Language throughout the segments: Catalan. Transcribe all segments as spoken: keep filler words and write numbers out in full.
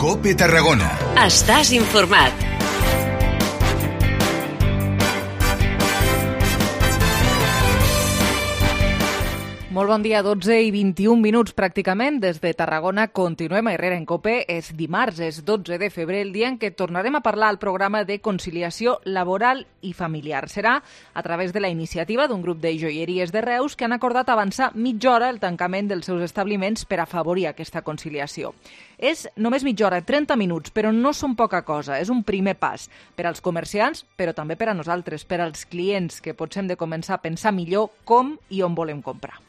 COPE Tarragona. Estàs informat. Molt bon dia, dotze i vint-i-un minuts pràcticament. Des de Tarragona continuem a Herrera en COPE. És dimarts, és dotze de febrer, el dia en què tornarem a parlar al programa de conciliació laboral i familiar. Serà a través de la iniciativa d'un grup de joieries de Reus que han acordat avançar mitja hora el tancament dels seus establiments per afavorir aquesta conciliació. És només mitja hora, trenta minuts, però no són poca cosa. És un primer pas per als comerciants, però també per a nosaltres, per als clients, que potser hem de començar a pensar millor com i on volem comprar.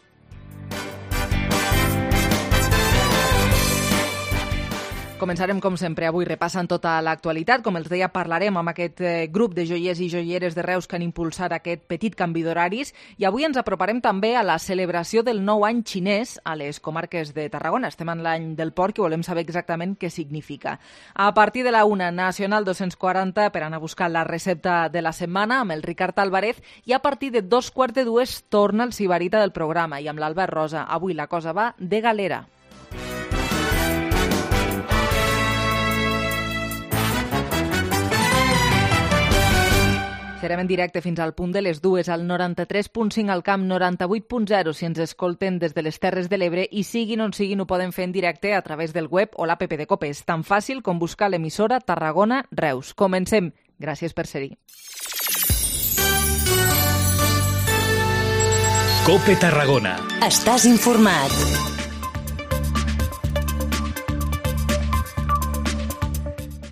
Començarem, com sempre, avui repassant tota l'actualitat. Com els deia, parlarem amb aquest grup de joiers i joieres de Reus que han impulsat aquest petit canvi d'horaris i avui ens aproparem també a la celebració del nou any xinès a les comarques de Tarragona. Estem en l'any del porc i volem saber exactament què significa. A partir de la una, Nacional dos-cents quaranta per anar a buscar la recepta de la setmana amb el Ricard Álvarez i a partir de dos quarts de dues torna el Sibarita del programa i amb l'Albert Rosa. Avui la cosa va de galera. Serem en directe fins al punt de les dues, al noranta-tres punt cinc al Camp, noranta-vuit punt zero si ens escolten des de les Terres de l'Ebre i siguin on siguin ho poden fer en directe a través del web o l'app de COPE. És tan fàcil com buscar l'emissora Tarragona Reus. Comencem. Gràcies per ser-hi. COPE Tarragona. Estàs informat.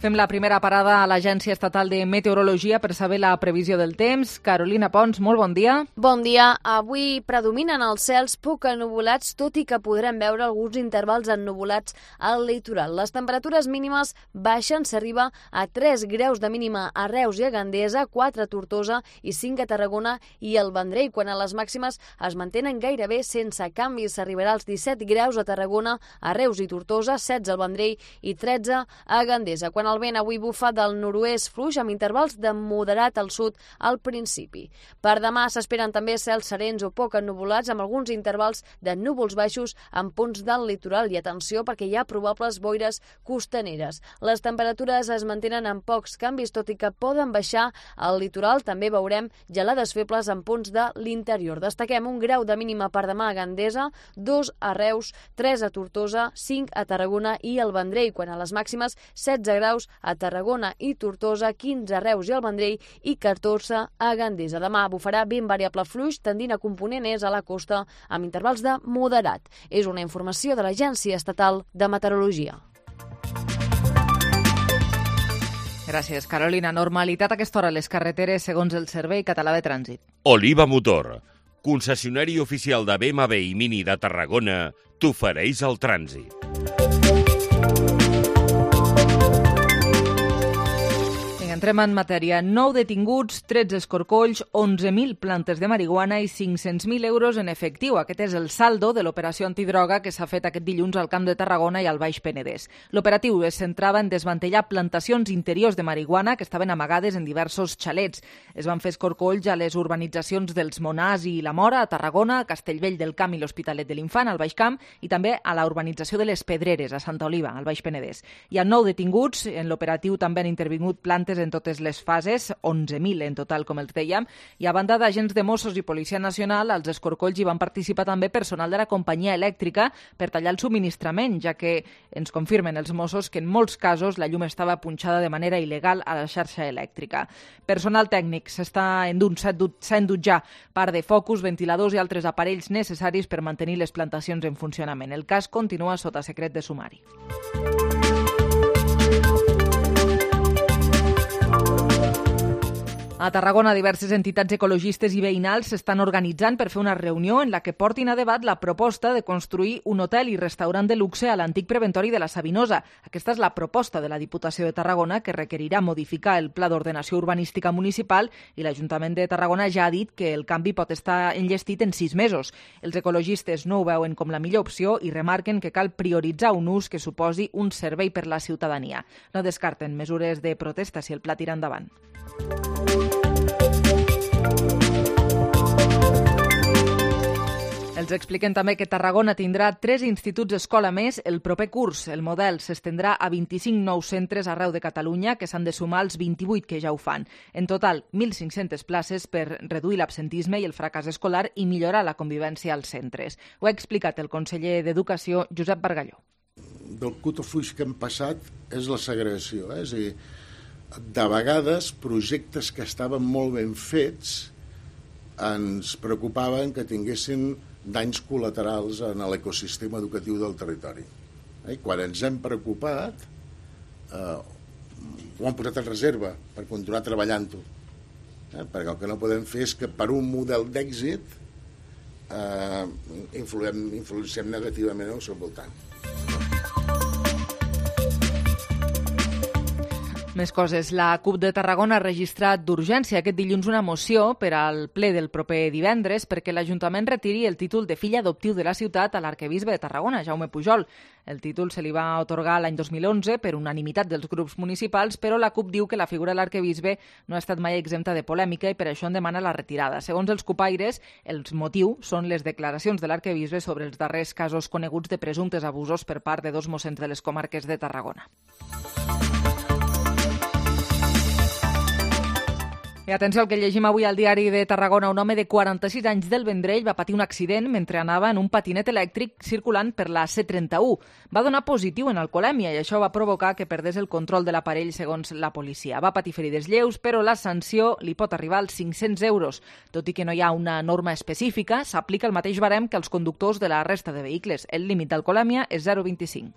Fem la primera parada a l'Agència Estatal de Meteorologia per saber la previsió del temps. Carolina Pons, molt bon dia. Bon dia. Avui predominen els cels poc ennuvolats, tot i que podrem veure alguns intervals ennuvolats al litoral. Les temperatures mínimes baixen, s'arriba a tres graus de mínima a Reus i a Gandesa, quatre a Tortosa i cinc a Tarragona i al Vendrell, quan a les màximes es mantenen gairebé sense canvis. S'arribarà als disset graus a Tarragona, a Reus i Tortosa, setze al Vendrell i tretze a Gandesa. Quan el vent avui bufa del nord-oest fluix amb intervals de moderat al sud al principi. Per demà s'esperen també cels serens o poc ennuvolats amb alguns intervals de núvols baixos en punts del litoral i atenció perquè hi ha probables boires costaneres. Les temperatures es mantenen amb pocs canvis, tot i que poden baixar al litoral. També veurem gelades febles en punts de l'interior. Destaquem un grau de mínima per demà a Gandesa, dos a Reus, tres a Tortosa, cinc a Tarragona i al Vendrell, quan a les màximes setze graus a Tarragona i Tortosa, quinze a Reus i al Vendrell i catorze a Gandesa. Demà bufarà vent variable fluix, tendint a component est a la costa amb intervals de moderat. És una informació de l'Agència Estatal de Meteorologia. Gràcies, Carolina. Normalitat a aquesta hora a les carreteres segons el Servei Català de Trànsit. Oliva Motor, concessionari oficial de B M W i Mini de Tarragona, t'ofereix el trànsit. Entrem en matèria. Nou detinguts, tretze escorcolls, onze mil plantes de marihuana i cinc-cents mil euros en efectiu. Aquest és el saldo de l'operació antidroga que s'ha fet aquest dilluns al Camp de Tarragona i al Baix Penedès. L'operatiu es centrava en desmantellar plantacions interiors de marihuana que estaven amagades en diversos xalets. Es van fer escorcolls a les urbanitzacions dels Monars i la Mora, a Tarragona, a Castellvell del Camp i l'Hospitalet de l'Infant, al Baix Camp, i també a la urbanització de les Pedreres, a Santa Oliva, al Baix Penedès. Hi ha nou detinguts. En l'operatiu també han intervingut plantes en totes les fases, onze mil en total, com els dèiem, i a banda d'agents de Mossos i Policia Nacional, als escorcolls hi van participar també personal de la companyia elèctrica per tallar el subministrament, ja que ens confirmen els Mossos que en molts casos la llum estava punxada de manera il·legal a la xarxa elèctrica. Personal tècnic s'està endut, s'ha endut ja part de focus, ventiladors i altres aparells necessaris per mantenir les plantacions en funcionament. El cas continua sota secret de sumari. A Tarragona, diverses entitats ecologistes i veïnals s'estan organitzant per fer una reunió en la que portin a debat la proposta de construir un hotel i restaurant de luxe a l'antic preventori de la Sabinosa. Aquesta és la proposta de la Diputació de Tarragona, que requerirà modificar el Pla d'Ordenació Urbanística Municipal, i l'Ajuntament de Tarragona ja ha dit que el canvi pot estar enllestit en sis mesos. Els ecologistes no ho veuen com la millor opció i remarquen que cal prioritzar un ús que suposi un servei per la ciutadania. No descarten mesures de protesta si el pla tira endavant. Els expliquem també que Tarragona tindrà tres instituts escola més el proper curs. El model s'estendrà a vint-i-cinc nous centres arreu de Catalunya, que s'han de sumar als vint-i-vuit que ja ho fan. En total, mil cinc-centes places per reduir l'absentisme i el fracàs escolar i millorar la convivència als centres. Ho ha explicat el conseller d'Educació, Josep Bargalló. Del cutofuix que hem passat és la segregació. Eh? És a dir, de vegades, projectes que estaven molt ben fets ens preocupaven que tinguessin danys col·laterals en l'ecosistema educatiu del territori. I quan ens hem preocupat, eh, ho hem posat en reserva per continuar treballant-ho. Eh? Perquè el que no podem fer és que per un model d'èxit eh, influem, influenciem negativament al seu voltant. Més coses. La CUP de Tarragona ha registrat d'urgència aquest dilluns una moció per al ple del proper divendres perquè l'Ajuntament retiri el títol de fill adoptiu de la ciutat a l'arquebisbe de Tarragona, Jaume Pujol. El títol se li va atorgar l'any dos mil onze per unanimitat dels grups municipals, però la CUP diu que la figura de l'arquebisbe no ha estat mai exempta de polèmica i per això en demana la retirada. Segons els cupaires, els motius són les declaracions de l'arquebisbe sobre els darrers casos coneguts de presumptes abusos per part de dos mossens de les comarques de Tarragona. I atenció al que llegim avui al diari de Tarragona. Un home de quaranta-sis anys del Vendrell va patir un accident mentre anava en un patinet elèctric circulant per la C trenta-u. Va donar positiu en alcoholèmia i això va provocar que perdés el control de l'aparell, segons la policia. Va patir ferides lleus, però la sanció li pot arribar als cinc-cents euros. Tot i que no hi ha una norma específica, s'aplica el mateix barem que als conductors de la resta de vehicles. El límit d'alcoholèmia és zero coma vint-i-cinc.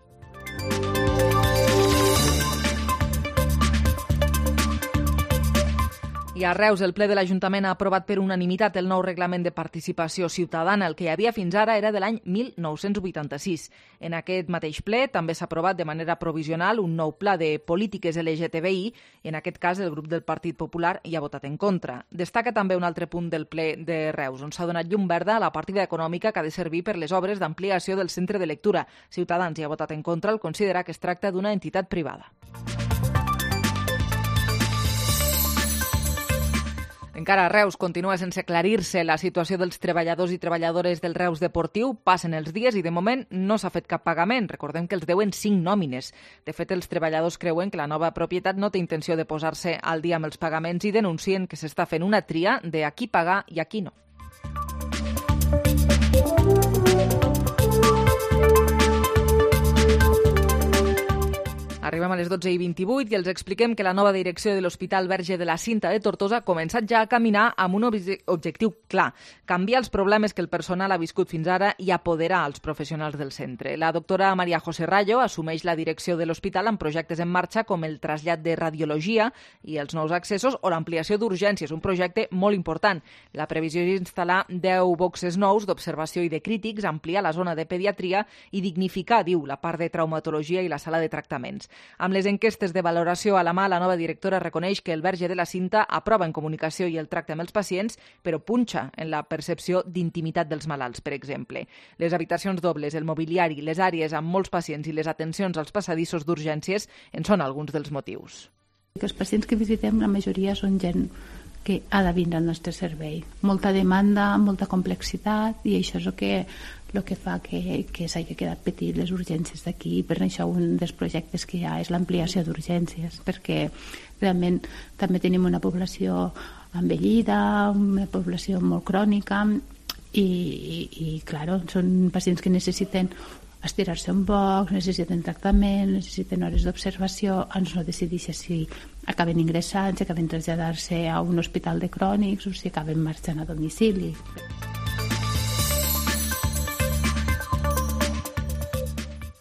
I a Reus, el ple de l'Ajuntament ha aprovat per unanimitat el nou reglament de participació ciutadana. El que hi havia fins ara era de l'any mil nou-cents vuitanta-sis. En aquest mateix ple també s'ha aprovat de manera provisional un nou pla de polítiques L G T B I i en aquest cas el grup del Partit Popular hi ha votat en contra. Destaca també un altre punt del ple de Reus, on s'ha donat llum verda a la partida econòmica que ha de servir per les obres d'ampliació del centre de lectura. Ciutadans hi ha votat en contra al considerar que es tracta d'una entitat privada. Encara a Reus continua sense aclarir-se la situació dels treballadors i treballadores del Reus Deportiu. Passen els dies i de moment no s'ha fet cap pagament. Recordem que els deuen cinc nòmines. De fet, els treballadors creuen que la nova propietat no té intenció de posar-se al dia amb els pagaments i denuncien que s'està fent una tria de a qui pagar i a qui no. Arribem a les dotze i vint-i-vuit i els expliquem que la nova direcció de l'Hospital Verge de la Cinta de Tortosa ha començat ja a caminar amb un objectiu clar: canviar els problemes que el personal ha viscut fins ara i apoderar els professionals del centre. La doctora María José Rayo assumeix la direcció de l'hospital amb projectes en marxa com el trasllat de radiologia i els nous accessos o l'ampliació d'urgències, un projecte molt important. La previsió és instal·lar deu boxes nous d'observació i de crítics, ampliar la zona de pediatria i dignificar, diu, la part de traumatologia i la sala de tractaments. Amb les enquestes de valoració a la mà, la nova directora reconeix que el Verge de la Cinta aprova en comunicació i el tracte amb els pacients, però punxa en la percepció d'intimitat dels malalts, per exemple. Les habitacions dobles, el mobiliari, les àrees amb molts pacients i les atencions als passadissos d'urgències en són alguns dels motius. Els pacients que visitem, la majoria són gent que ha de vindre al nostre servei. Molta demanda, molta complexitat, i això és el que, el que fa que, que s'hagi quedat petit les urgències d'aquí. Per això un dels projectes que hi ha és l'ampliació d'urgències, perquè realment també tenim una població envellida, una població molt crònica, i, i, i clar, són pacients que necessiten estirar-se un poc, necessiten tractament, necessiten hores d'observació, ens no decideixen si acaben ingressant, si acaben traslladar-se a un hospital de crònics o si acaben marxant a domicili.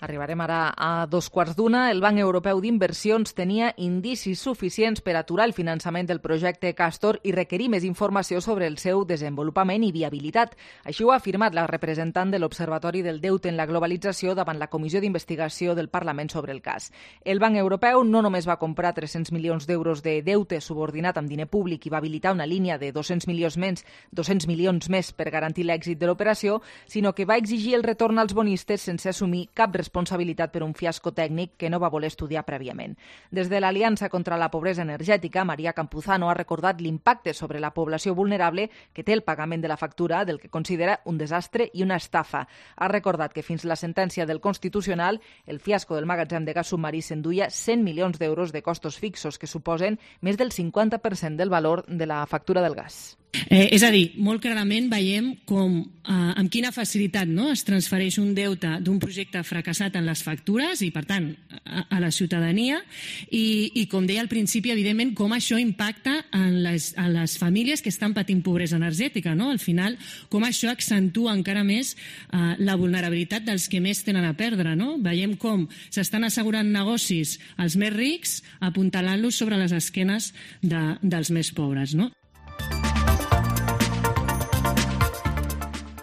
Arribarem ara a dos quarts d'una. El Banc Europeu d'Inversions tenia indicis suficients per aturar el finançament del projecte Castor i requerir més informació sobre el seu desenvolupament i viabilitat. Així ho ha afirmat la representant de l'Observatori del Deute en la Globalització davant la Comissió d'Investigació del Parlament sobre el cas. El Banc Europeu no només va comprar tres-cents milions d'euros de deute subordinat amb diner públic i va habilitar una línia de dos-cents milions més, dos-cents milions més per garantir l'èxit de l'operació, sinó que va exigir el retorn als bonistes sense assumir cap responsabilitat responsabilitat per un fiasco tècnic que no va voler estudiar prèviament. Des de l'Aliança contra la Pobresa Energètica, Maria Campuzano ha recordat l'impacte sobre la població vulnerable que té el pagament de la factura, del que considera un desastre i una estafa. Ha recordat que fins la sentència del Constitucional, el fiasco del magatzem de gas submarí s'enduia cent milions d'euros de costos fixos, que suposen més del cinquanta per cent del valor de la factura del gas. Eh, és a dir, molt clarament veiem com, eh, amb quina facilitat, no?, es transfereix un deute d'un projecte fracassat en les factures i, per tant, a, a la ciutadania i, i, com deia al principi, evidentment, com això impacta en les, en les famílies que estan patint pobresa energètica, no? Al final, com això accentua encara més eh, la vulnerabilitat dels que més tenen a perdre, no? Veiem com s'estan assegurant negocis als més rics, apuntalant-los sobre les esquenes de, dels més pobres, no?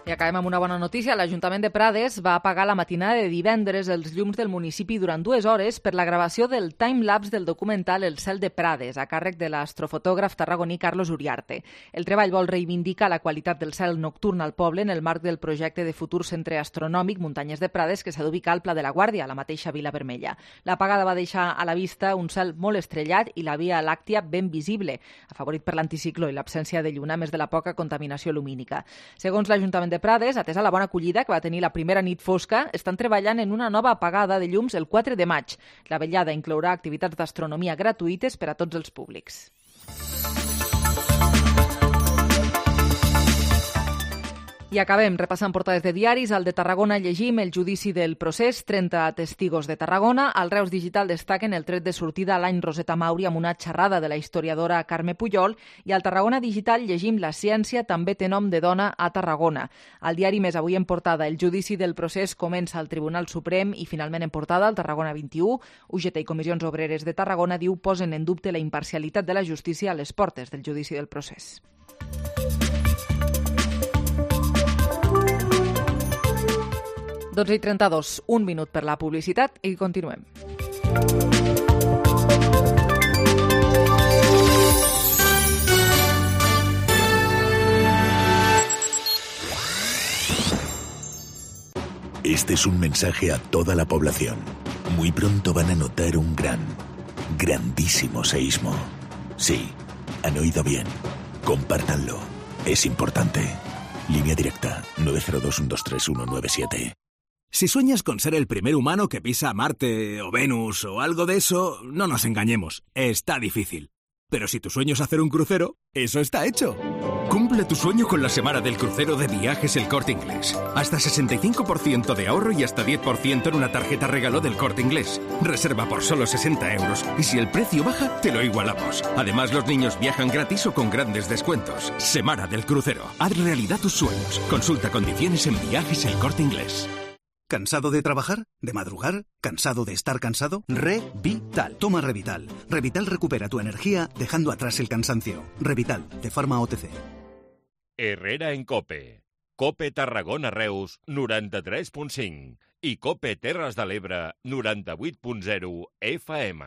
I acabem amb una bona notícia. L'Ajuntament de Prades va apagar la matinada de divendres els llums del municipi durant dues hores per la gravació del timelapse del documental El cel de Prades, a càrrec de l'astrofotògraf tarragoní Carlos Uriarte. El treball vol reivindicar la qualitat del cel nocturn al poble en el marc del projecte de futur centre astronòmic Muntanyes de Prades, que s'ha d'ubicar al Pla de la Guàrdia, a la mateixa Vila Vermella. L'apagada va deixar a la vista un cel molt estrellat i la Via Làctia ben visible, afavorit per l'anticicló i l'absència de lluna, a més de la poca contaminació lumínica. Segons l'Ajuntament de Prades, atesa la bona acollida que va tenir la primera nit fosca, estan treballant en una nova apagada de llums el quatre de maig. La vetllada inclourà activitats d'astronomia gratuïtes per a tots els públics. I acabem repassant portades de diaris. Al de Tarragona llegim el judici del procés, trenta testigos de Tarragona. Al Reus Digital destaquen el tret de sortida a l'any Roseta Mauri amb una xerrada de la historiadora Carme Pujol. I al Tarragona Digital llegim La ciència també té nom de dona a Tarragona. Al diari Més avui en portada, el judici del procés comença al Tribunal Suprem i finalment en portada al Tarragona vint-i-u. U G T i Comissions Obreres de Tarragona diu posen en dubte la imparcialitat de la justícia a les portes del judici del procés. dotze i trenta-dos, un minut per la publicitat i continuem. Este es un mensaje a toda la población. Muy pronto van a notar un gran, grandísimo seísmo. Sí, han oído bien. Compártanlo. Es importante. Línea directa nueve cero dos, uno dos tres, uno nueve siete. Si sueñas con ser el primer humano que pisa Marte o Venus o algo de eso, no nos engañemos, está difícil. Pero si tu sueño es hacer un crucero, eso está hecho. Cumple tu sueño con la semana del crucero de Viajes El Corte Inglés. Hasta sesenta y cinco por ciento de ahorro y hasta diez por ciento en una tarjeta regalo del Corte Inglés. Reserva por solo sesenta euros y si el precio baja, te lo igualamos. Además, los niños viajan gratis o con grandes descuentos. Semana del crucero. Haz realidad tus sueños. Consulta condiciones en Viajes El Corte Inglés. ¿Cansado de trabajar? ¿De madrugar? ¿Cansado de estar cansado? Revital. Toma Revital. Revital recupera tu energía dejando atrás el cansancio. Revital, de Pharma O T C. Herrera en Cope. Cope Tarragona Reus, noranta-tres punt cinc. I Cope Terres de l'Ebre, noranta-vuit punt zero F M.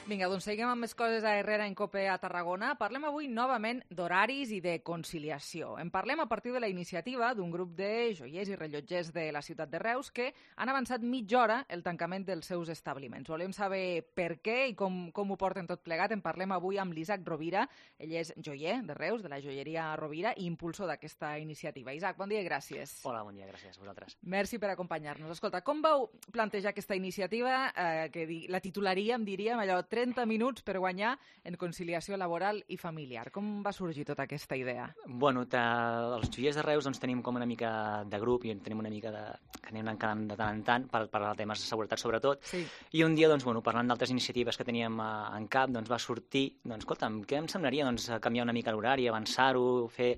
Vinga, doncs seguim amb més coses a Herrera en Cope a Tarragona. Parlem avui novament d'horaris i de conciliació. En parlem a partir de la iniciativa d'un grup de joiers i rellotgers de la ciutat de Reus que han avançat mitja hora el tancament dels seus establiments. Volem saber per què i com, com ho porten tot plegat. En parlem avui amb l'Isaac Rovira. Ell és joier de Reus, de la joieria Rovira, i impulsor d'aquesta iniciativa. Isaac, bon dia i gràcies. Hola, bon dia, gràcies a vosaltres. Merci per acompanyar-nos. Escolta, com vau plantejar aquesta iniciativa, eh, que la titularíem, diríem, allò, trenta minuts per guanyar en conciliació laboral i familiar. Com va sorgir tota aquesta idea? Bueno, els joiers de Reus doncs, tenim com una mica de grup i tenim una mica de... que anem encant de tant en tant per parlar de temes de seguretat sobretot. Sí. I un dia, doncs, bueno, parlant d'altres iniciatives que teníem en cap, doncs, va sortir, doncs, escolta'm, què em semblaria doncs, canviar una mica l'horari, avançar-ho, fer...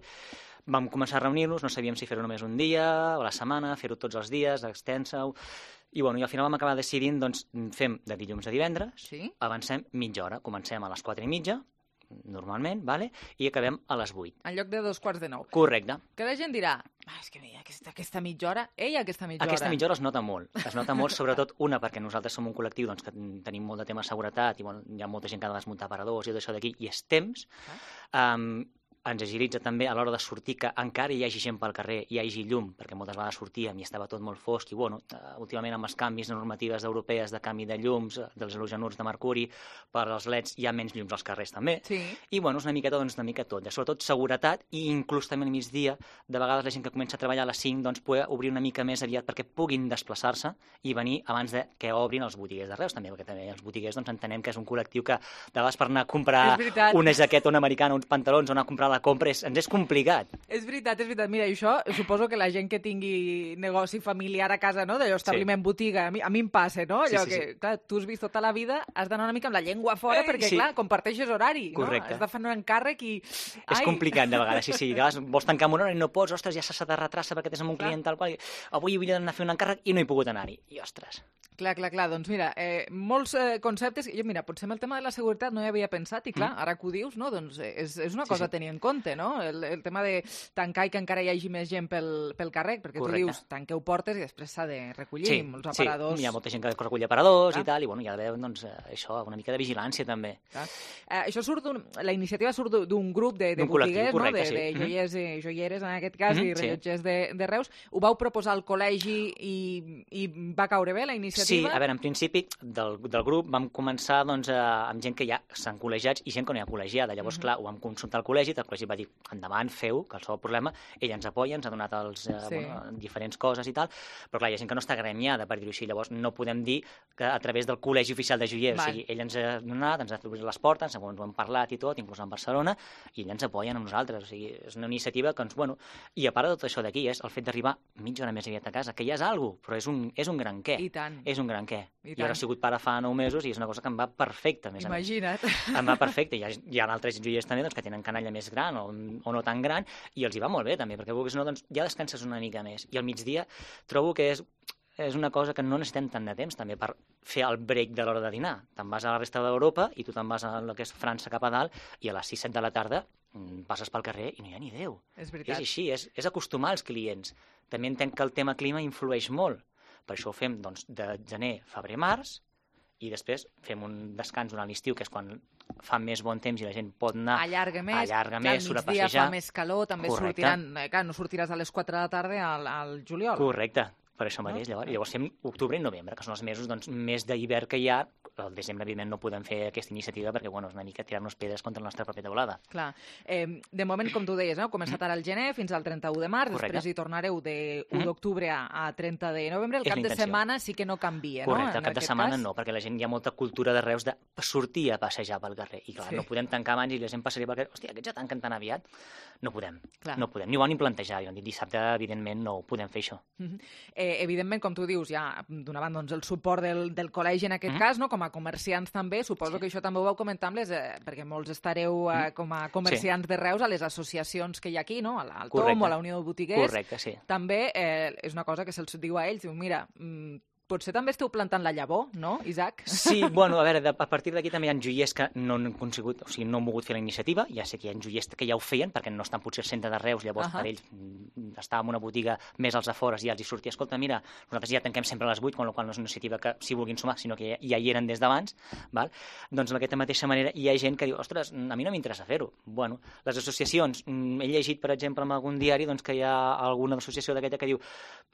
Vam començar a reunir-nos, no sabíem si fer-ho només un dia o a la setmana, fer-ho tots els dies, extensa-ho... I, bueno, i al final vam acabar decidint, doncs, fem de dilluns a divendres, sí? Avancem mitja hora. Comencem a les quatre i mitja, normalment, vale? I acabem a les vuit. En lloc de dos quarts de nou. Correcte. Que la gent dirà, ah, és que mira, aquesta, aquesta mitja hora, ella aquesta mitja hora... Aquesta mitja hora es nota molt. Es nota molt, sobretot, una, perquè nosaltres som un col·lectiu doncs, que tenim molt de tema de seguretat i bueno, hi ha molta gent que ha de desmuntar aparadors i tot això d'aquí, i és temps. Ah. Um, ens agilitza també a l'hora de sortir que encara hi hagi gent pel carrer, hi hagi llum, perquè moltes vegades sortíem i estava tot molt fosc, i bueno, últimament amb els canvis normatives europees de canvi de llums, dels halogenurs de mercuri, per als leds hi ha menys llums als carrers també, sí. I bueno, és una miqueta, doncs, una mica tot, sobretot seguretat i inclús també al migdia, de vegades la gent que comença a treballar a les cinc, doncs poder obrir una mica més aviat perquè puguin desplaçar-se i venir abans de que obrin els botiguers de Reus també, perquè també els botiguers doncs entenem que és un col·lectiu que de vegades per anar a comprar una jaqueta, una americana, uns pantalons o anar a comprar la compra és, ens és complicat. És veritat, és veritat. Mira, això suposo que la gent que tingui negoci familiar a casa, no?, d'allò, establiment, sí. botiga, a mi, a mi em passa, no? Allò sí, sí, que, sí. clar, tu has vist tota la vida, has d'anar una mica amb la llengua fora, eh, perquè, sí. clar, comparteixes horari, correcte. No? Has de fer un encàrrec i... És Ai. complicat, de vegades, sí, sí. De vegades vols tancar amb una hora i no pots, ostres, ja s'ha de retrasar perquè tens amb un clar. client tal qual, avui vull anar a fer un encàrrec i no he pogut anar-hi. I, ostres... Clar, clar, clar. Doncs mira, eh, molts eh, conceptes... Jo, mira, potser amb el tema de la seguretat no hi havia pensat i, clar, mm. ara que ho dius, no? Doncs és, és una cosa sí, sí. a tenir en compte, no? El, el tema de tancar i que encara hi hagi més gent pel, pel carrer, perquè correcte. Tu dius, tanqueu portes i després s'ha de recollir sí, els aparadors... Sí, hi ha molta gent que recull aparadors clar. I tal, i bueno, hi ha d'haver, doncs, això, una mica de vigilància també. Eh, això surt d'un... La iniciativa surt d'un grup de, de botiguers, correcte, no? De, sí. de joiers i joieres, en aquest cas, mm-hmm, i rellotgers sí. de, de Reus. Ho vau proposar al col·legi i, i va caure bé la iniciativa? Sí, a veure, en principi del, del grup vam començar doncs, a, amb gent que ja s'han col·legiats i gent que no hi ha col·legiada. Llavors, mm-hmm. clar, ho vam consultar al col·legi, el col·legi va dir, endavant, feu, que el sol problema, ell ens apoya, ens ha donat els, eh, sí. bueno, diferents coses i tal, però clar, hi ha gent que no està gremiada, per dir-ho així, llavors no podem dir que a través del Col·legi Oficial de Joiers, o sigui, ell ens ha donat, ens ha obert les portes, segons ho hem parlat i tot, inclús en Barcelona, i ell ens apoya a nosaltres, o sigui, és una iniciativa que ens, bueno, i a part de tot això d'aquí és el fet d'arribar mitja hora més aviat a casa, que ja és alguna cosa, però és un, és un gran què. I tant. És un gran què. I, I ara he sigut pare fa nou mesos i és una cosa que em va perfecta, més Imagina't. a més. Em va perfecte. Hi ha, hi ha altres joiers també doncs, que tenen canalla més gran o, o no tan gran i els hi va molt bé també, perquè vulguis o no, doncs, ja descanses una mica més. I al migdia trobo que és, és una cosa que no necessitem tant de temps també per fer el break de l'hora de dinar. Te'n vas a la resta d'Europa i tu te'n vas a el que és França cap a dalt i a les sis set de la tarda passes pel carrer i no hi ha ni Déu. És veritat. És així, és, és acostumar els clients. També entenc que el tema clima influeix molt. Per això ho fem doncs, de gener, febrer, març, i després fem un descans durant l'estiu, que és quan fa més bon temps i la gent pot anar... Allarga més, allarga clar, més, surt a migdia passejar. Fa més calor, també correcte. Sortiran... Eh, clar, no sortiràs a les quatre de la tarda al, al juliol. Correcte, per això mateix. No? Llavors, llavors fem octubre i novembre, que són els mesos doncs, més d'hivern que hi ha. Al desembre, evidentment, no podem fer aquesta iniciativa perquè, bueno, és una mica tirar-nos pedres contra la nostra pròpia teulada. Clar. Eh, de moment, com tu deies, no? Començat ara al gener fins al trenta-u de març, correcte. Després hi tornareu de u d'octubre a, a trenta de novembre. El és cap de setmana sí que no canvia, correcte, no? el cap de setmana cas. No, perquè la gent hi ha molta cultura de Reus de sortir a passejar pel carrer. I clar, sí. no podem tancar abans i la gent passaria pel carrer. Hòstia, aquests ja tanquen tan aviat. No podem. Clar. No podem. Ni ho van ni plantejar. I dissabte, evidentment, no podem fer això. Mm-hmm. eh, evidentment, com tu dius, ja donant doncs, el suport del, del col·legi en aquest mm-hmm. cas, no? Com a comerciants també, suposo sí. que això també ho vau comentar amb les, eh, perquè molts estareu eh, com a comerciants sí. de Reus a les associacions que hi ha aquí, no? Al, al Tom o a la Unió de Botiguers. Correcte, sí. També eh, és una cosa que se'ls diu a ells, diu, mira, mm, potser també esteu plantant la llavor, no, Isaac? Sí, bueno, a veure, de, a partir d'aquí també hi ha joiers que no han conseguit, o sigui, no han volgut fer la iniciativa, ja sé que hi ha joiers que ja ho feien, perquè no estan potser al centre de Reus, llavors uh-huh. per ells estava en una botiga més als afores i ja els hi sortia, escolta, mira, nosaltres ja tanquem sempre a les vuit, amb la qual no és una iniciativa que s'hi vulguin sumar, sinó que ja, ja hi eren des d'abans, val? Doncs d'aquesta mateixa manera hi ha gent que diu, ostres, a mi no m'interessa fer-ho. Bueno, les associacions, he llegit, per exemple, en algun diari doncs, que hi ha alguna associació d'aquesta que diu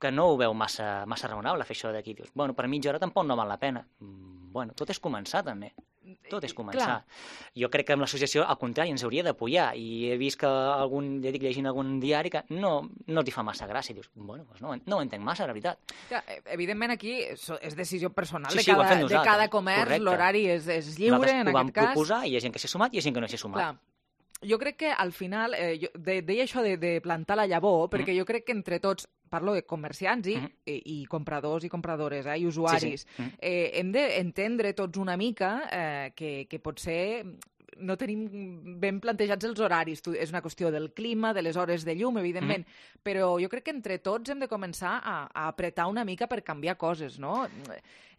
que no ho veu massa, massa raonable fer això d'aquí. Dius, bueno, per mitja hora tampoc no val la pena. Bueno, tot és començar, també. Tot és començar. Clar. Jo crec que amb l'associació, al contrari, ens hauria d'apoyar. I he vist que algun, ja dic, llegint algun diari que no, no t'hi fa massa gràcia. I dius, bueno, doncs no, no ho entenc massa, la veritat. Ja, evidentment, aquí és decisió personal sí, de, sí, cada, de cada comerç. L'horari és, és lliure, nosaltres en aquest cas. Nosaltres ho vam proposar, i hi ha gent que s'ha sumat i hi ha gent que no s'hi ha sumat. Clar. Jo crec que al final, eh, jo de, deia això de, de plantar la llavor, perquè mm. jo crec que entre tots, parlo de comerciants i, mm. i, i compradors i compradores, eh, i usuaris, sí, sí. Mm. eh, hem d'entendre tots una mica eh, que, que potser no tenim ben plantejats els horaris. És una qüestió del clima, de les hores de llum, evidentment, mm. però jo crec que entre tots hem de començar a, a apretar una mica per canviar coses, no?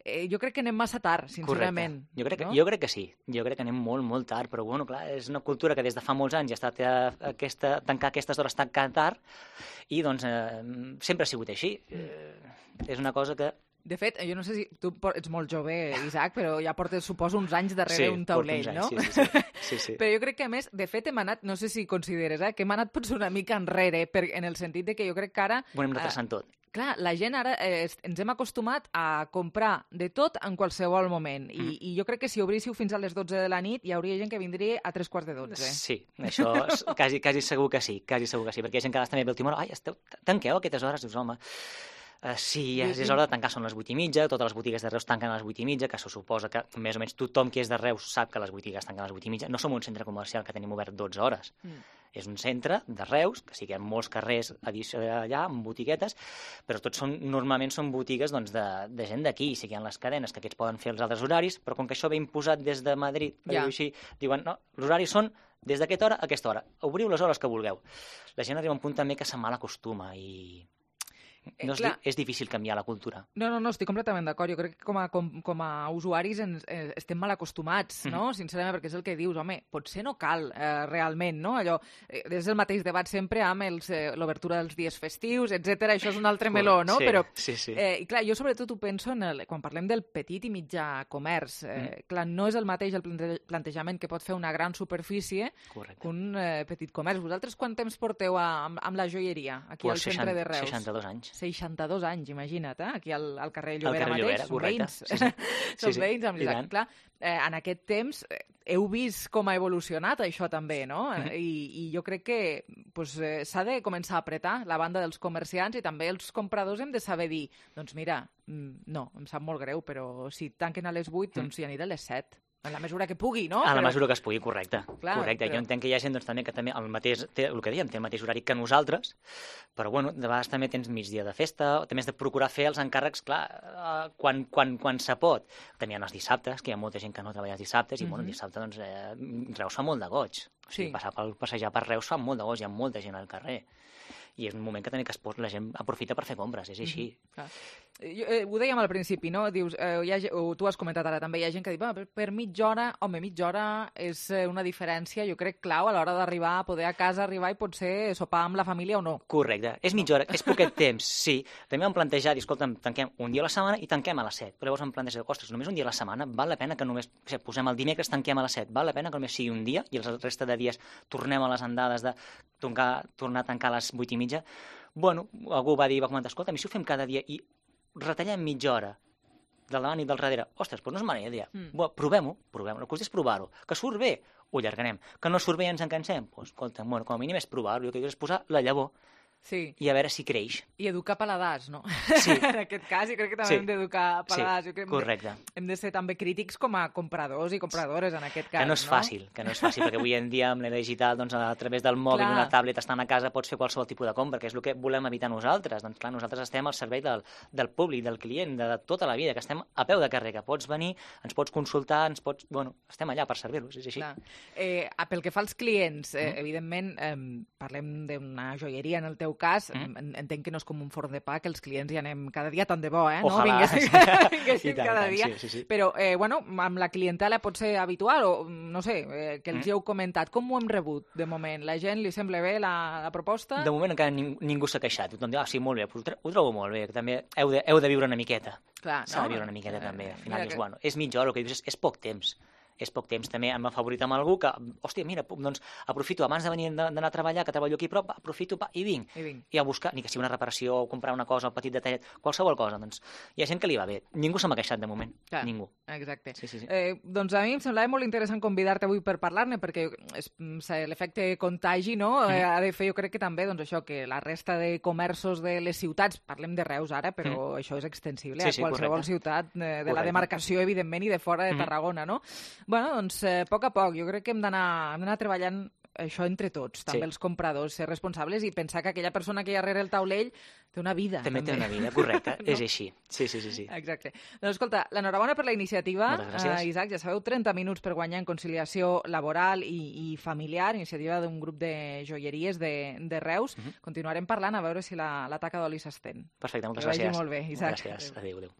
Eh, jo crec que anem massa tard, sincerament. Correcte. Jo crec, que, no? jo crec que sí. Jo crec que anem molt, molt tard, però bueno, clar, és una cultura que des de fa molts anys ja ha estat eh, aquesta, tancar aquestes hores tan tard i doncs eh, sempre ha sigut així. Eh, és una cosa que... De fet, jo no sé si tu ets molt jove, Isaac, però ja portes, suposo, uns anys darrere sí, un taulell, anys, no? Sí, sí, sí. sí, sí. Però jo crec que, a més, de fet, hem anat, no sé si consideres, eh, que hem anat potser una mica enrere, per, en el sentit de que jo crec que ara... Ho anem retrasant eh, tot. Clar, la gent ara eh, ens hem acostumat a comprar de tot en qualsevol moment. I, mm. i jo crec que si obríssiu fins a les dotze de la nit hi hauria gent que vindria a tres quarts de dotze. Sí, això quasi, quasi segur que sí, quasi segur que sí, perquè hi ha gent que també ve a última hora, ai, esteu, tanqueu a aquestes hores, dius, home... Uh, sí, ja és hora de tancar, són les vuit i mitja, totes les botigues de Reus tanquen a les vuit i mitja, que això suposa que més o menys tothom que és de Reus sap que les botigues tanquen a les vuit i mitja. No som un centre comercial que tenim obert dotze hores. Mm. És un centre de Reus, que sí que hi ha molts carrers allà, amb botiguetes, però tots són, normalment són botigues doncs, de, de gent d'aquí, sí que hi ha les cadenes que aquests poden fer els altres horaris, però com que això ve imposat des de Madrid, ja. Així, diuen, no, els horaris són des d'aquesta hora a aquesta hora. Obriu les hores que vulgueu. La gent arriba a un punt també que se mal acostuma i... No és, Clar. és difícil canviar la cultura. No, no, no, estic completament d'acord. Jo crec que com a, com, com a usuaris ens, eh, estem mal acostumats, no? Mm-hmm. Sincerament, perquè és el que dius, home, potser no cal eh, realment, no? Allò, eh, és el mateix debat sempre amb els, eh, l'obertura dels dies festius, etcètera. Això és un altre meló, no? Sí, Però, sí, sí. Eh, i clar, jo sobretot ho penso en el, quan parlem del petit i mitjà comerç. Eh, mm. Clar, no és el mateix el plante plantejament que pot fer una gran superfície Correcte. que un eh, petit comerç. Vosaltres quant temps porteu a, amb, amb la joieria aquí pues al centre seixanta, de Reus? seixanta-dos anys. seixanta-dos anys, imagina't, eh? Aquí al, al carrer Llobera carrer mateix, Llobera, són correcte. veïns. Sí, sí. Són sí, sí. veïns, amb l'Isaac. Clar, eh, en aquest temps eh, heu vist com ha evolucionat això també, no? Mm-hmm. I, I jo crec que pues, eh, s'ha de començar a apretar la banda dels comerciants i també els compradors hem de saber dir, doncs mira, no, em sap molt greu, però si tanquen a les vuit, doncs hi aniré a les set. En la mesura que pugui, no? A la però... mesura que es pugui, correcte. Clar, correcte. però... Jo entenc que hi ha gent doncs, també que també el mateix, té, el que dèiem, té el mateix horari que nosaltres, però bueno, de vegades també tens migdia de festa, també has de procurar fer els encàrrecs, clar, uh, quan, quan, quan se pot. També hi ha els dissabtes, que hi ha molta gent que no treballa els dissabtes, i mm-hmm. bueno, el dissabte doncs, eh, Reus fa molt de goig. O sigui, sí. passar pel, passejar per Reus fa molt de goig, hi ha molta gent al carrer. I és un moment que també que es pot, la gent aprofita per fer compres, és així. Mm-hmm. Jo, eh, ho dèiem al principi, no? Dius, eh, hi ha, tu has comentat ara també, hi ha gent que diu, per, per mitja hora, home, mitja hora és una diferència, jo crec, clau a l'hora d'arribar, a poder a casa arribar i potser sopar amb la família o no. Correcte, és mitja hora, és poquet temps, sí. També vam plantejar, escolta'm, tanquem un dia a la setmana i tanquem a les set. Però llavors vam plantejar, ostres, només un dia a la setmana, val la pena que només, o sigui, posem el dimecres, tanquem a les set, val la pena que només sigui un dia i el resta de dies tornem a les andades de tornar, tornar a tancar a les vuit i mitja. Bueno, algú va dir, va comentar, escolta, si ho fem cada dia i retallem mitja hora del davant i del darrere, ostres, doncs no és mala idea. Mm. Bueno, provem-ho, provem-ho, el que és provar-ho. Que surt bé, ho allargarem. Que no surt bé i ens en cansem, doncs, escolta, bueno, com a mínim és provar-ho, el que és posar la llavor. Sí. I a veure si creix. I educar paladars, no? Sí. En aquest cas, jo crec que també sí. hem d'educar paladars. Sí, jo crec correcte. Hem de, hem de ser també crítics com a compradors i compradores, en aquest cas, que no és fàcil, no? Que no és fàcil, perquè avui en dia amb l'era digital, doncs, a través del mòbil, una tablet, estant a casa, pots fer qualsevol tipus de compra, que és el que volem evitar nosaltres. Doncs clar, nosaltres estem al servei del, del públic, del client, de, de tota la vida, que estem a peu de carrer, que pots venir, ens pots consultar, ens pots... Bueno, estem allà per servir-los, és així. Clar. Eh, pel que fa als clients, eh, mm. evidentment, eh, parlem d'una joieria en el teu cas, mm. entenc que no és com un forn de pa, que els clients hi anem cada dia, tant de bo, eh? Ojalà. No? Vinguessin, vinguessin tant, cada tant, dia. Sí, sí, sí. Però, eh, bueno, amb la clientela pot ser habitual, o no sé, eh, que els mm. hi heu comentat. Com ho hem rebut, de moment? La gent li sembla bé la, la proposta? De moment encara ning ningú s'ha queixat. Tothom diu, ah, sí, molt bé, ho, ho trobo molt bé. També heu de, heu de viure una miqueta. Clar, S'ha no? de viure una miqueta, eh, també. Al final dius, que... bueno, és mitja hora, el que dius és, és poc temps. És poc temps. També hem afavorit amb algú que, hòstia, mira, doncs aprofito, abans de venir d'anar a treballar, que treballo aquí a prop, aprofito pa, i vinc. I vinc. I a buscar, ni que sigui una reparació, o comprar una cosa, un petit detallet, qualsevol cosa. Doncs hi ha gent que li va bé. Ningú se m'ha queixat de moment. Clar, Ningú. Exacte. Sí, sí, sí. Eh, doncs a mi em semblava molt interessant convidar-te avui per parlar-ne, perquè l'efecte contagi, no? Mm. Eh, ha de fer, jo crec que també, doncs això, que la resta de comerços de les ciutats, parlem de Reus ara, però mm. això és extensible sí, a sí, qualsevol correcte. ciutat de, de correcte. la demarcació, evidentment, i de fora de Tarragona, no? Bueno, doncs, eh, a poc a poc, jo crec que hem d'anar treballant això entre tots, també Sí. els compradors, ser responsables i pensar que aquella persona que hi ha darrere el taulell té una vida. També, també té una vida, correcte, no? és així. Sí, sí, sí. sí. Exacte. Doncs escolta, l'enhorabona per la iniciativa, Moltes gràcies. eh, Isaac, ja sabeu, trenta minuts per guanyar en conciliació laboral i, i familiar, iniciativa d'un grup de joieries de, de Reus. Mhm. Continuarem parlant a veure si la, la taca d'oli s'estén. Perfecte, moltes Que vagi gràcies. molt bé, Isaac. Gràcies, adéu, adéu.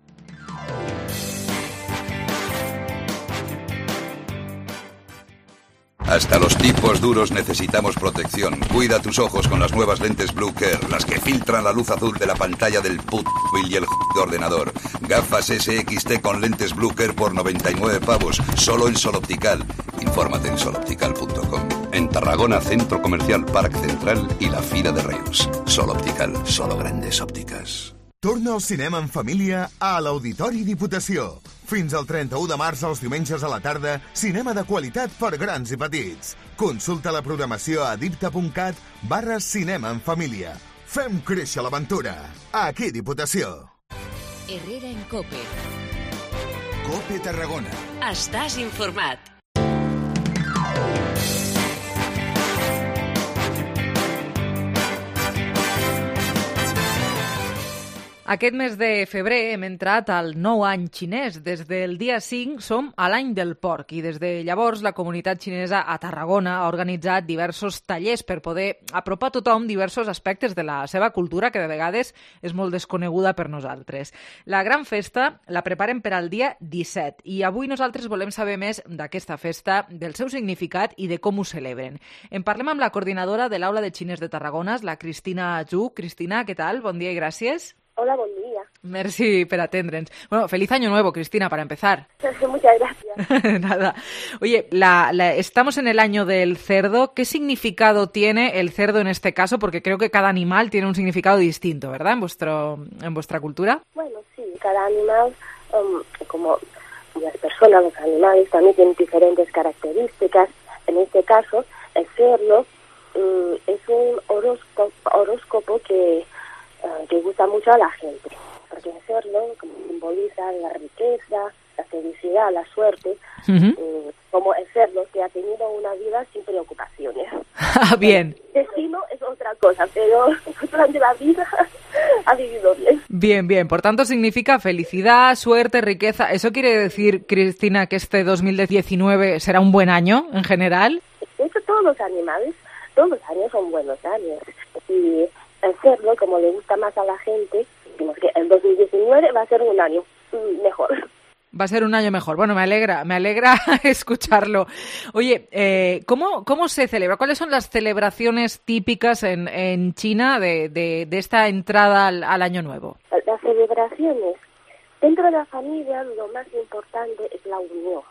Hasta los tipos duros necesitamos protección. Cuida tus ojos con las nuevas lentes Blue Care, las que filtran la luz azul de la pantalla del puto móvil y el ordenador. Gafas S X T con lentes Blue Care por noventa y nueve pavos, solo en Sol Optical. Infórmate en sol optical punto com. En Tarragona, Centro Comercial Parc Central i la Fira de Reus. Sol Optical, solo grandes òptiques. Torna al cinema en família a l'Auditori Diputació. Fins al trenta-u de març, els diumenges a la tarda, cinema de qualitat per grans i petits. Consulta la programació a dipta.cat barra cinema en família. Fem créixer l'aventura. Aquí Diputació. Herrera en Cope. Cope Tarragona. Estàs informat. Aquest mes de febrer hem entrat al nou any xinès. Des del dia cinc som a l'any del porc i des de llavors la comunitat xinesa a Tarragona ha organitzat diversos tallers per poder apropar a tothom diversos aspectes de la seva cultura que de vegades és molt desconeguda per nosaltres. La gran festa la preparen per al dia disset i avui nosaltres volem saber més d'aquesta festa, del seu significat i de com ho celebren. En parlem amb la coordinadora de l'Aula de Xinès de Tarragona, la Cristina Zhu. Cristina, què tal? Bon dia i gràcies. Hola, buen día. Merci por atendrenos. Bueno, feliz año nuevo, Cristina, para empezar. Muchas gracias. Nada. Oye, la, la, estamos en el año del cerdo. ¿Qué significado tiene el cerdo en este caso? Porque creo que cada animal tiene un significado distinto, ¿verdad? En vuestro, en vuestra cultura. Bueno, sí, cada animal, um, como las personas, los animales también tienen diferentes características. En este caso, el cerdo um, es un horóscopo, horóscopo que que gusta mucho a la gente, porque el cerdo como simboliza la riqueza, la felicidad, la suerte, uh-huh. eh, como el cerdo que ha tenido una vida sin preocupaciones. Ah, bien. El destino es otra cosa, pero durante la vida ha vivido bien. Bien, bien. Por tanto, significa felicidad, suerte, riqueza. ¿Eso quiere decir, Cristina, que este dos mil diecinueve será un buen año en general? De hecho, todos los animales, todos los años son buenos años. Y el cerdo, como le gusta más a la gente, decimos que el dos mil diecinueve va a ser un año mejor. Va a ser un año mejor. Bueno, me alegra, me alegra escucharlo. Oye, eh, ¿cómo, ¿cómo se celebra? ¿Cuáles son las celebraciones típicas en, en China de, de, de esta entrada al, al Año Nuevo? Las celebraciones. Dentro de la familia, lo más importante es la unión.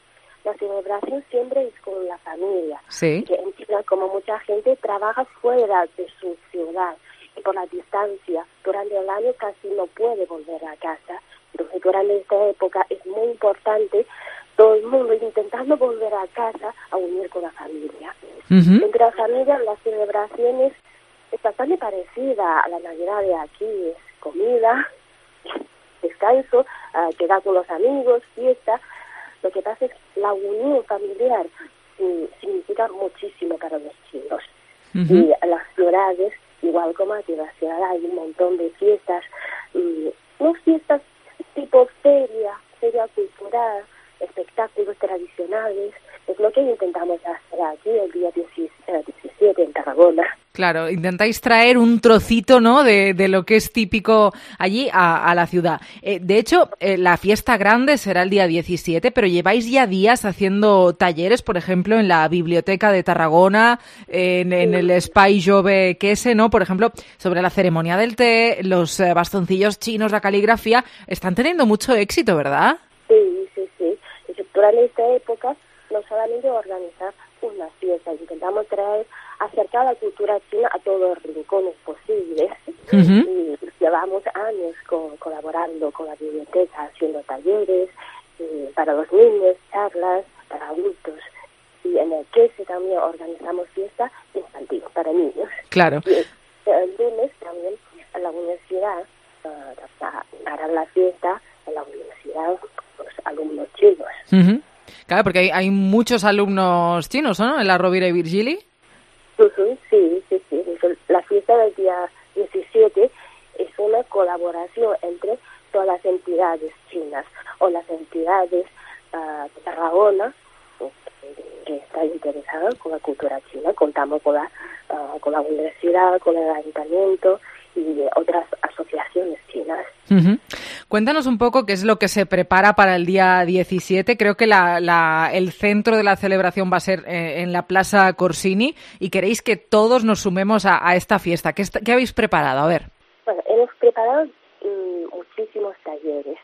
La celebración siempre es con la familia. Sí. Que en China, como mucha gente, trabaja fuera de su ciudad. Y por la distancia, durante el año casi no puede volver a casa. Entonces, durante esta época es muy importante todo el mundo intentando volver a casa a unir con la familia. Uh-huh. Entre la familia, las celebraciones es bastante parecida a la Navidad de aquí. Es comida, descanso, uh, quedar con los amigos, fiesta. Lo que pasa es que la unión familiar sí, significa muchísimo para los chinos. Uh-huh. Y las ciudades, igual como aquí en la ciudad, hay un montón de fiestas, mmm, no fiestas tipo feria, feria cultural, espectáculos tradicionales. Es lo que intentamos hacer aquí el día diecisiete en Tarragona. Claro, intentáis traer un trocito, ¿no?, de, de lo que es típico allí a, a la ciudad. Eh, de hecho, eh, la fiesta grande será el día diecisiete, pero lleváis ya días haciendo talleres, por ejemplo, en la Biblioteca de Tarragona, en, en el Espai Jove Quese, ¿no?, por ejemplo, sobre la ceremonia del té, los eh, bastoncillos chinos, la caligrafía. Están teniendo mucho éxito, ¿verdad? Sí, sí, sí. Durante esta época no solamente organizar una fiesta, intentamos traer, acercar la cultura china a todos los rincones posibles. Uh-huh. Y llevamos años co- colaborando con la biblioteca, haciendo talleres eh, para los niños, charlas para adultos. Y en el Quese también organizamos fiesta infantil para niños. Claro. Y el lunes también en la universidad, uh, harán la fiesta en la universidad los alumnos chinos. Uh-huh. Claro, porque hay, hay muchos alumnos chinos, ¿no?, en la Rovira y Virgili. Uh-huh, sí, sí, sí. La fiesta del día diecisiete es una colaboración entre todas las entidades chinas o las entidades uh, de Tarragona que, que están interesadas con la cultura china. Contamos con la, uh, con la universidad, con el ayuntamiento y otras asociaciones chinas. Uh-huh. Cuéntanos un poco qué es lo que se prepara para el día diecisiete. Creo que la, la, el centro de la celebración va a ser eh, en la Plaza Corsini y queréis que todos nos sumemos a, a esta fiesta. ¿Qué, ¿Qué habéis preparado? A ver. Bueno, hemos preparado mmm, muchísimos talleres.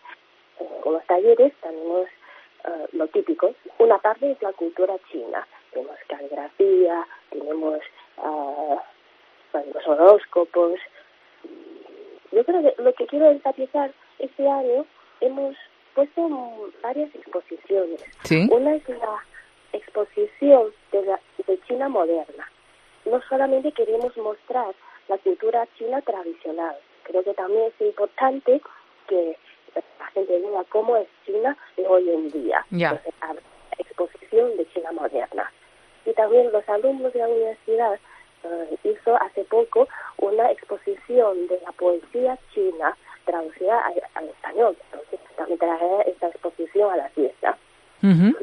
Eh, con los talleres tenemos uh, lo típico. Una parte es la cultura china. Tenemos caligrafía, tenemos uh, bueno, los horóscopos. Yo creo que lo que quiero enfatizar este año, hemos puesto varias exposiciones. ¿Sí? Una es la exposición de, la, de China moderna. No solamente queremos mostrar la cultura china tradicional, creo que también es importante que la gente vea cómo es China de hoy en día. Yeah. Entonces, la exposición de China moderna. Y también los alumnos de la universidad Uh, hizo hace poco una exposición de la poesía china traducida al, al español. Entonces también traje esta exposición a la fiesta. Uh-huh.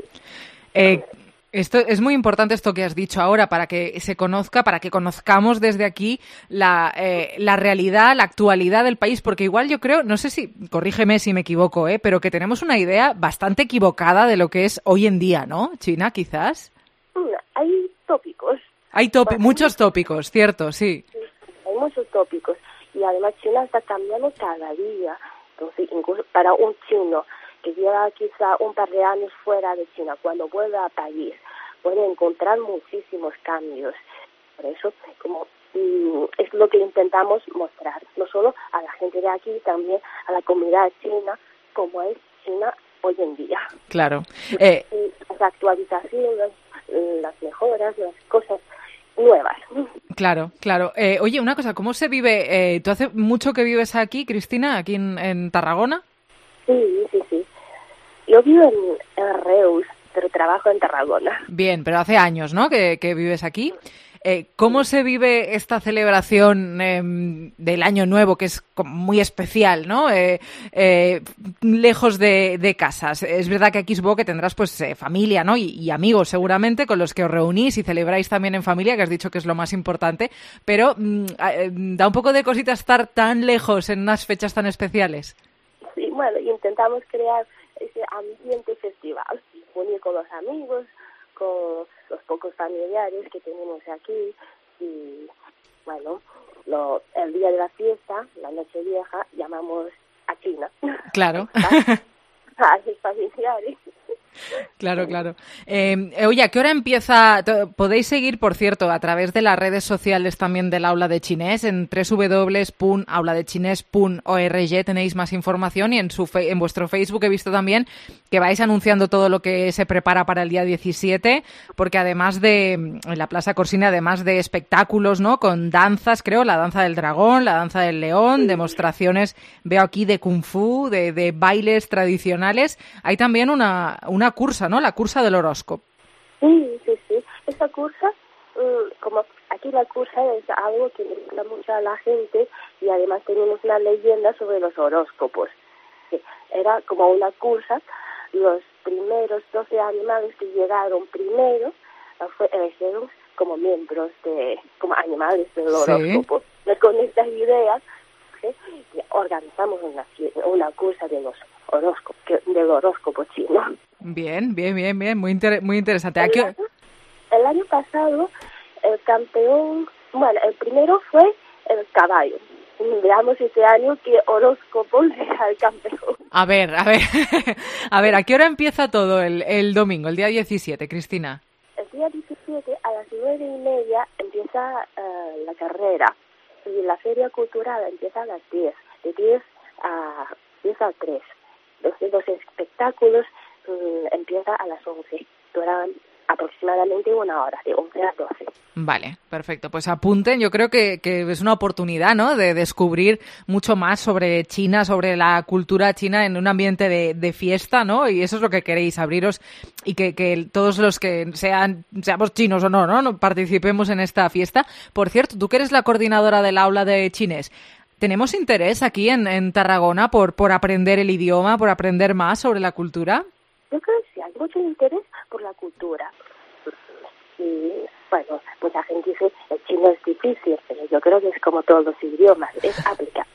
Eh, esto es muy importante esto que has dicho ahora para que se conozca, para que conozcamos desde aquí la, eh, la realidad, la actualidad del país, porque igual yo creo, no sé si, corrígeme si me equivoco, eh, pero que tenemos una idea bastante equivocada de lo que es hoy en día, ¿no? China, quizás. Mm, hay tópicos. Hay topi- muchos tópicos, cierto, sí. sí. Hay muchos tópicos y además China está cambiando cada día. Entonces, incluso para un chino que lleva quizá un par de años fuera de China, cuando vuelva a país, puede encontrar muchísimos cambios. Por eso, como mm, es lo que intentamos mostrar, no solo a la gente de aquí, también a la comunidad china, como es China hoy en día. Claro. Eh... Las actualizaciones, las mejoras, las cosas nuevas. Claro, claro. Eh, oye, una cosa, ¿cómo se vive? Eh, ¿Tú hace mucho que vives aquí, Cristina, aquí en, en Tarragona? Sí, sí, sí. Yo vivo en, en Reus, pero trabajo en Tarragona. Bien, pero hace años, ¿no?, que, que vives aquí. Eh, ¿Cómo se vive esta celebración eh, del Año Nuevo, que es muy especial, ¿no? Eh, eh, lejos de, de casas. Es verdad que aquí supongo que tendrás pues eh, familia, ¿no? Y, y amigos seguramente con los que os reunís y celebráis también en familia, que has dicho que es lo más importante. Pero mm, eh, da un poco de cosita estar tan lejos en unas fechas tan especiales. Sí, bueno, intentamos crear ese ambiente festival, unir con los amigos, con los pocos familiares que tenemos aquí y, bueno, lo, el día de la fiesta, la noche vieja, llamamos a China. Claro. A los familiares. Claro, claro. Eh, oye, ¿a qué hora empieza? Podéis seguir, por cierto, a través de las redes sociales también del Aula de Chinés, en doble u doble u doble u punto aula de chinés punto org tenéis más información y en, su fe- en vuestro Facebook he visto también que vais anunciando todo lo que se prepara para el día diecisiete, porque además de, en la Plaza Corsini, además de espectáculos, ¿no?, con danzas, creo, la danza del dragón, la danza del león, demostraciones, veo aquí de kung fu, de, de bailes tradicionales, hay también una, una cursa, ¿no?, la cursa del horóscopo. Sí, sí, sí. Esta cursa, como aquí la cursa es algo que le gusta mucho a la gente y además tenemos una leyenda sobre los horóscopos. Era como una cursa, los primeros doce animales que llegaron primero fue, eligieron como miembros de, como animales del horóscopo. Sí. Y con estas ideas ¿sí? organizamos una, una cursa de los horóscopos, del horóscopo chino. Bien, bien, bien, bien, muy, inter- muy interesante. El año, el año pasado el campeón, bueno, el primero fue el caballo. Veamos este año qué horóscopo será el campeón. A ver, a ver, a ver, ¿a qué hora empieza todo el, el domingo, el día diecisiete, Cristina? El día diecisiete a las nueve y media empieza uh, la carrera y la feria cultural empieza a las diez, de diez a diez a tres. Los, los espectáculos um, empiezan a las once, duran aproximadamente una hora, de once a doce. Vale, perfecto. Pues apunten, yo creo que, que es una oportunidad, ¿no?, de descubrir mucho más sobre China, sobre la cultura china en un ambiente de, de fiesta, ¿no? Y eso es lo que queréis, abriros y que, que todos los que sean, seamos chinos o no, ¿no?, participemos en esta fiesta. Por cierto, tú que eres la coordinadora del aula de chinés, ¿tenemos interés aquí en, en Tarragona por, por aprender el idioma, por aprender más sobre la cultura? Yo creo que sí, hay mucho interés por la cultura. Y bueno, mucha gente dice el chino es difícil, pero yo creo que es como todos los idiomas, es aplicable.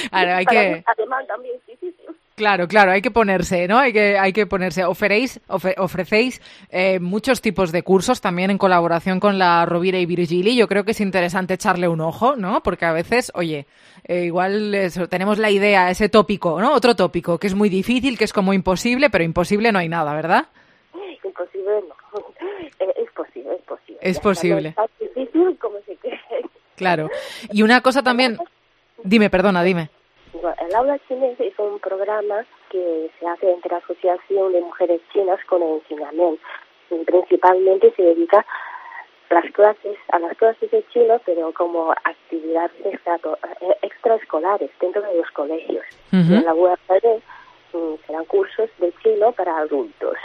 Claro, hay que... Además también es difícil. Claro, claro, hay que ponerse, ¿no? Hay que, hay que ponerse. Oferéis, ofre, ofrecéis eh, muchos tipos de cursos también en colaboración con la Rovira y Virgili. Yo creo que es interesante echarle un ojo, ¿no? Porque a veces, oye, eh, igual eso, tenemos la idea, ese tópico, ¿no? Otro tópico, que es muy difícil, que es como imposible, pero imposible no hay nada, ¿verdad? Imposible no. Es posible, es posible. Es posible. No es tan difícil como se cree. Claro. Y una cosa también... Dime, perdona, dime. El Aula Chinés es un programa que se hace entre la Asociación de Mujeres Chinas con el enseñamiento. Y principalmente se dedica las clases, a las clases de chino, pero como actividades extra, extraescolares dentro de los colegios. Uh-huh. Y en la U A D serán cursos de chino para adultos.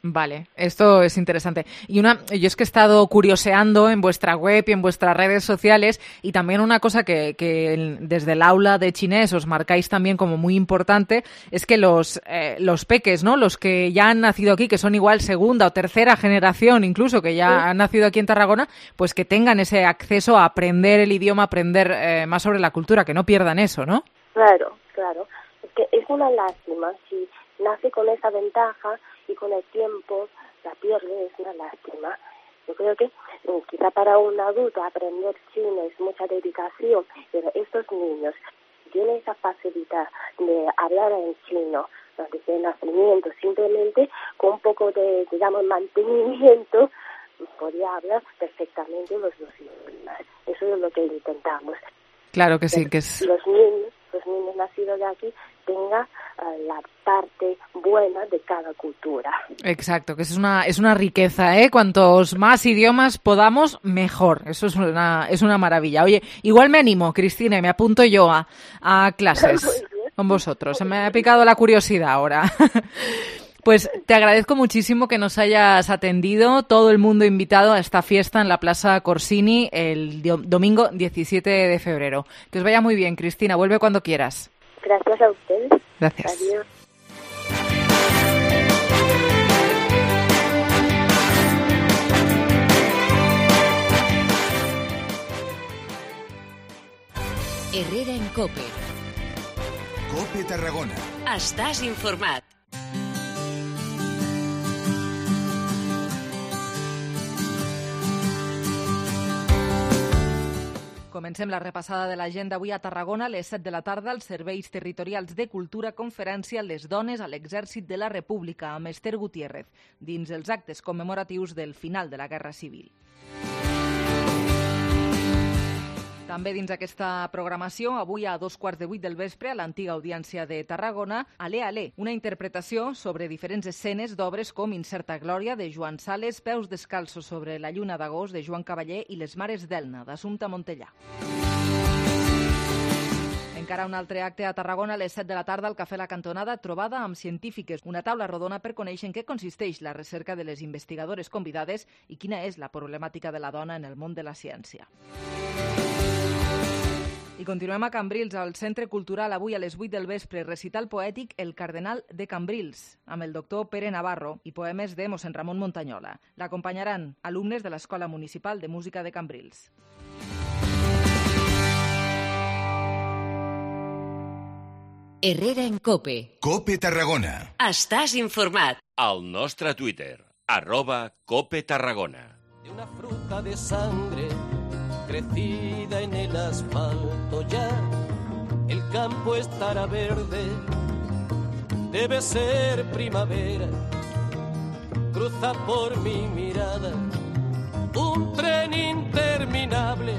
Vale, esto es interesante. Y una, yo es que he estado curioseando en vuestra web y en vuestras redes sociales, y también una cosa que, que desde el aula de chinés os marcáis también como muy importante es que los, eh, los peques, ¿no?, los que ya han nacido aquí, que son igual segunda o tercera generación incluso, que ya sí. han nacido aquí en Tarragona, pues que tengan ese acceso a aprender el idioma, aprender eh, más sobre la cultura, que no pierdan eso, ¿no? Claro, claro. Es que es una lástima si nace con esa ventaja y con el tiempo la pierde, es una lástima. Yo creo que eh, quizá para un adulto aprender chino es mucha dedicación, pero estos niños tienen esa facilidad de hablar en chino desde el nacimiento, simplemente con un poco de, digamos, mantenimiento, podría hablar perfectamente los dos idiomas. Eso es lo que intentamos. Claro que sí, que es... Los niños, los niños nacidos de aquí tenga uh, la parte buena de cada cultura. Exacto, que es una es una riqueza, ¿eh? Cuantos más idiomas podamos, mejor. Eso es una es una maravilla. Oye, igual me animo, Cristina, y me apunto yo a, a clases con vosotros. Se me ha picado la curiosidad ahora. Pues te agradezco muchísimo que nos hayas atendido, todo el mundo invitado a esta fiesta en la Plaza Corsini el domingo diecisiete de febrero. Que os vaya muy bien, Cristina, vuelve cuando quieras. Gracias a ustedes. Gracias. Adiós. Herrera en Cope. Cope Tarragona. Estàs informat. Comencem la repassada de l'agenda avui a Tarragona. A les set de la tarda, els serveis territorials de cultura conferència Les dones a l'exèrcit de la República amb Esther Gutiérrez, dins els actes commemoratius del final de la Guerra Civil. També dins aquesta programació, avui a dos quarts de vuit del vespre, a l'antiga Audiència de Tarragona, Alé, Alé, una interpretació sobre diferents escenes d'obres com Incerta Glòria, de Joan Sales, Peus descalços sobre la lluna d'agost, de Joan Cavaller, i Les mares d'Elna, d'Assumpta Montellà. Encara un altre acte a Tarragona a les set de la tarda al Cafè La Cantonada, trobada amb científiques, una taula rodona per conèixer en què consisteix la recerca de les investigadores convidades i quina és la problemàtica de la dona en el món de la ciència. I continuem a Cambrils, al Centre Cultural, avui a les vuit del vespre, recital poètic El Cardenal de Cambrils, amb el doctor Pere Navarro i poemes de mossèn Ramon Montañola. L'acompanyaran alumnes de l'Escola Municipal de Música de Cambrils. Herrera en Cope. Cope Tarragona. Estàs informat. Al nostre Twitter, arroba Cope Tarragona. De una fruta de sangre crecida en el asfalto ya, el campo estará verde, debe ser primavera, cruza por mi mirada un tren interminable,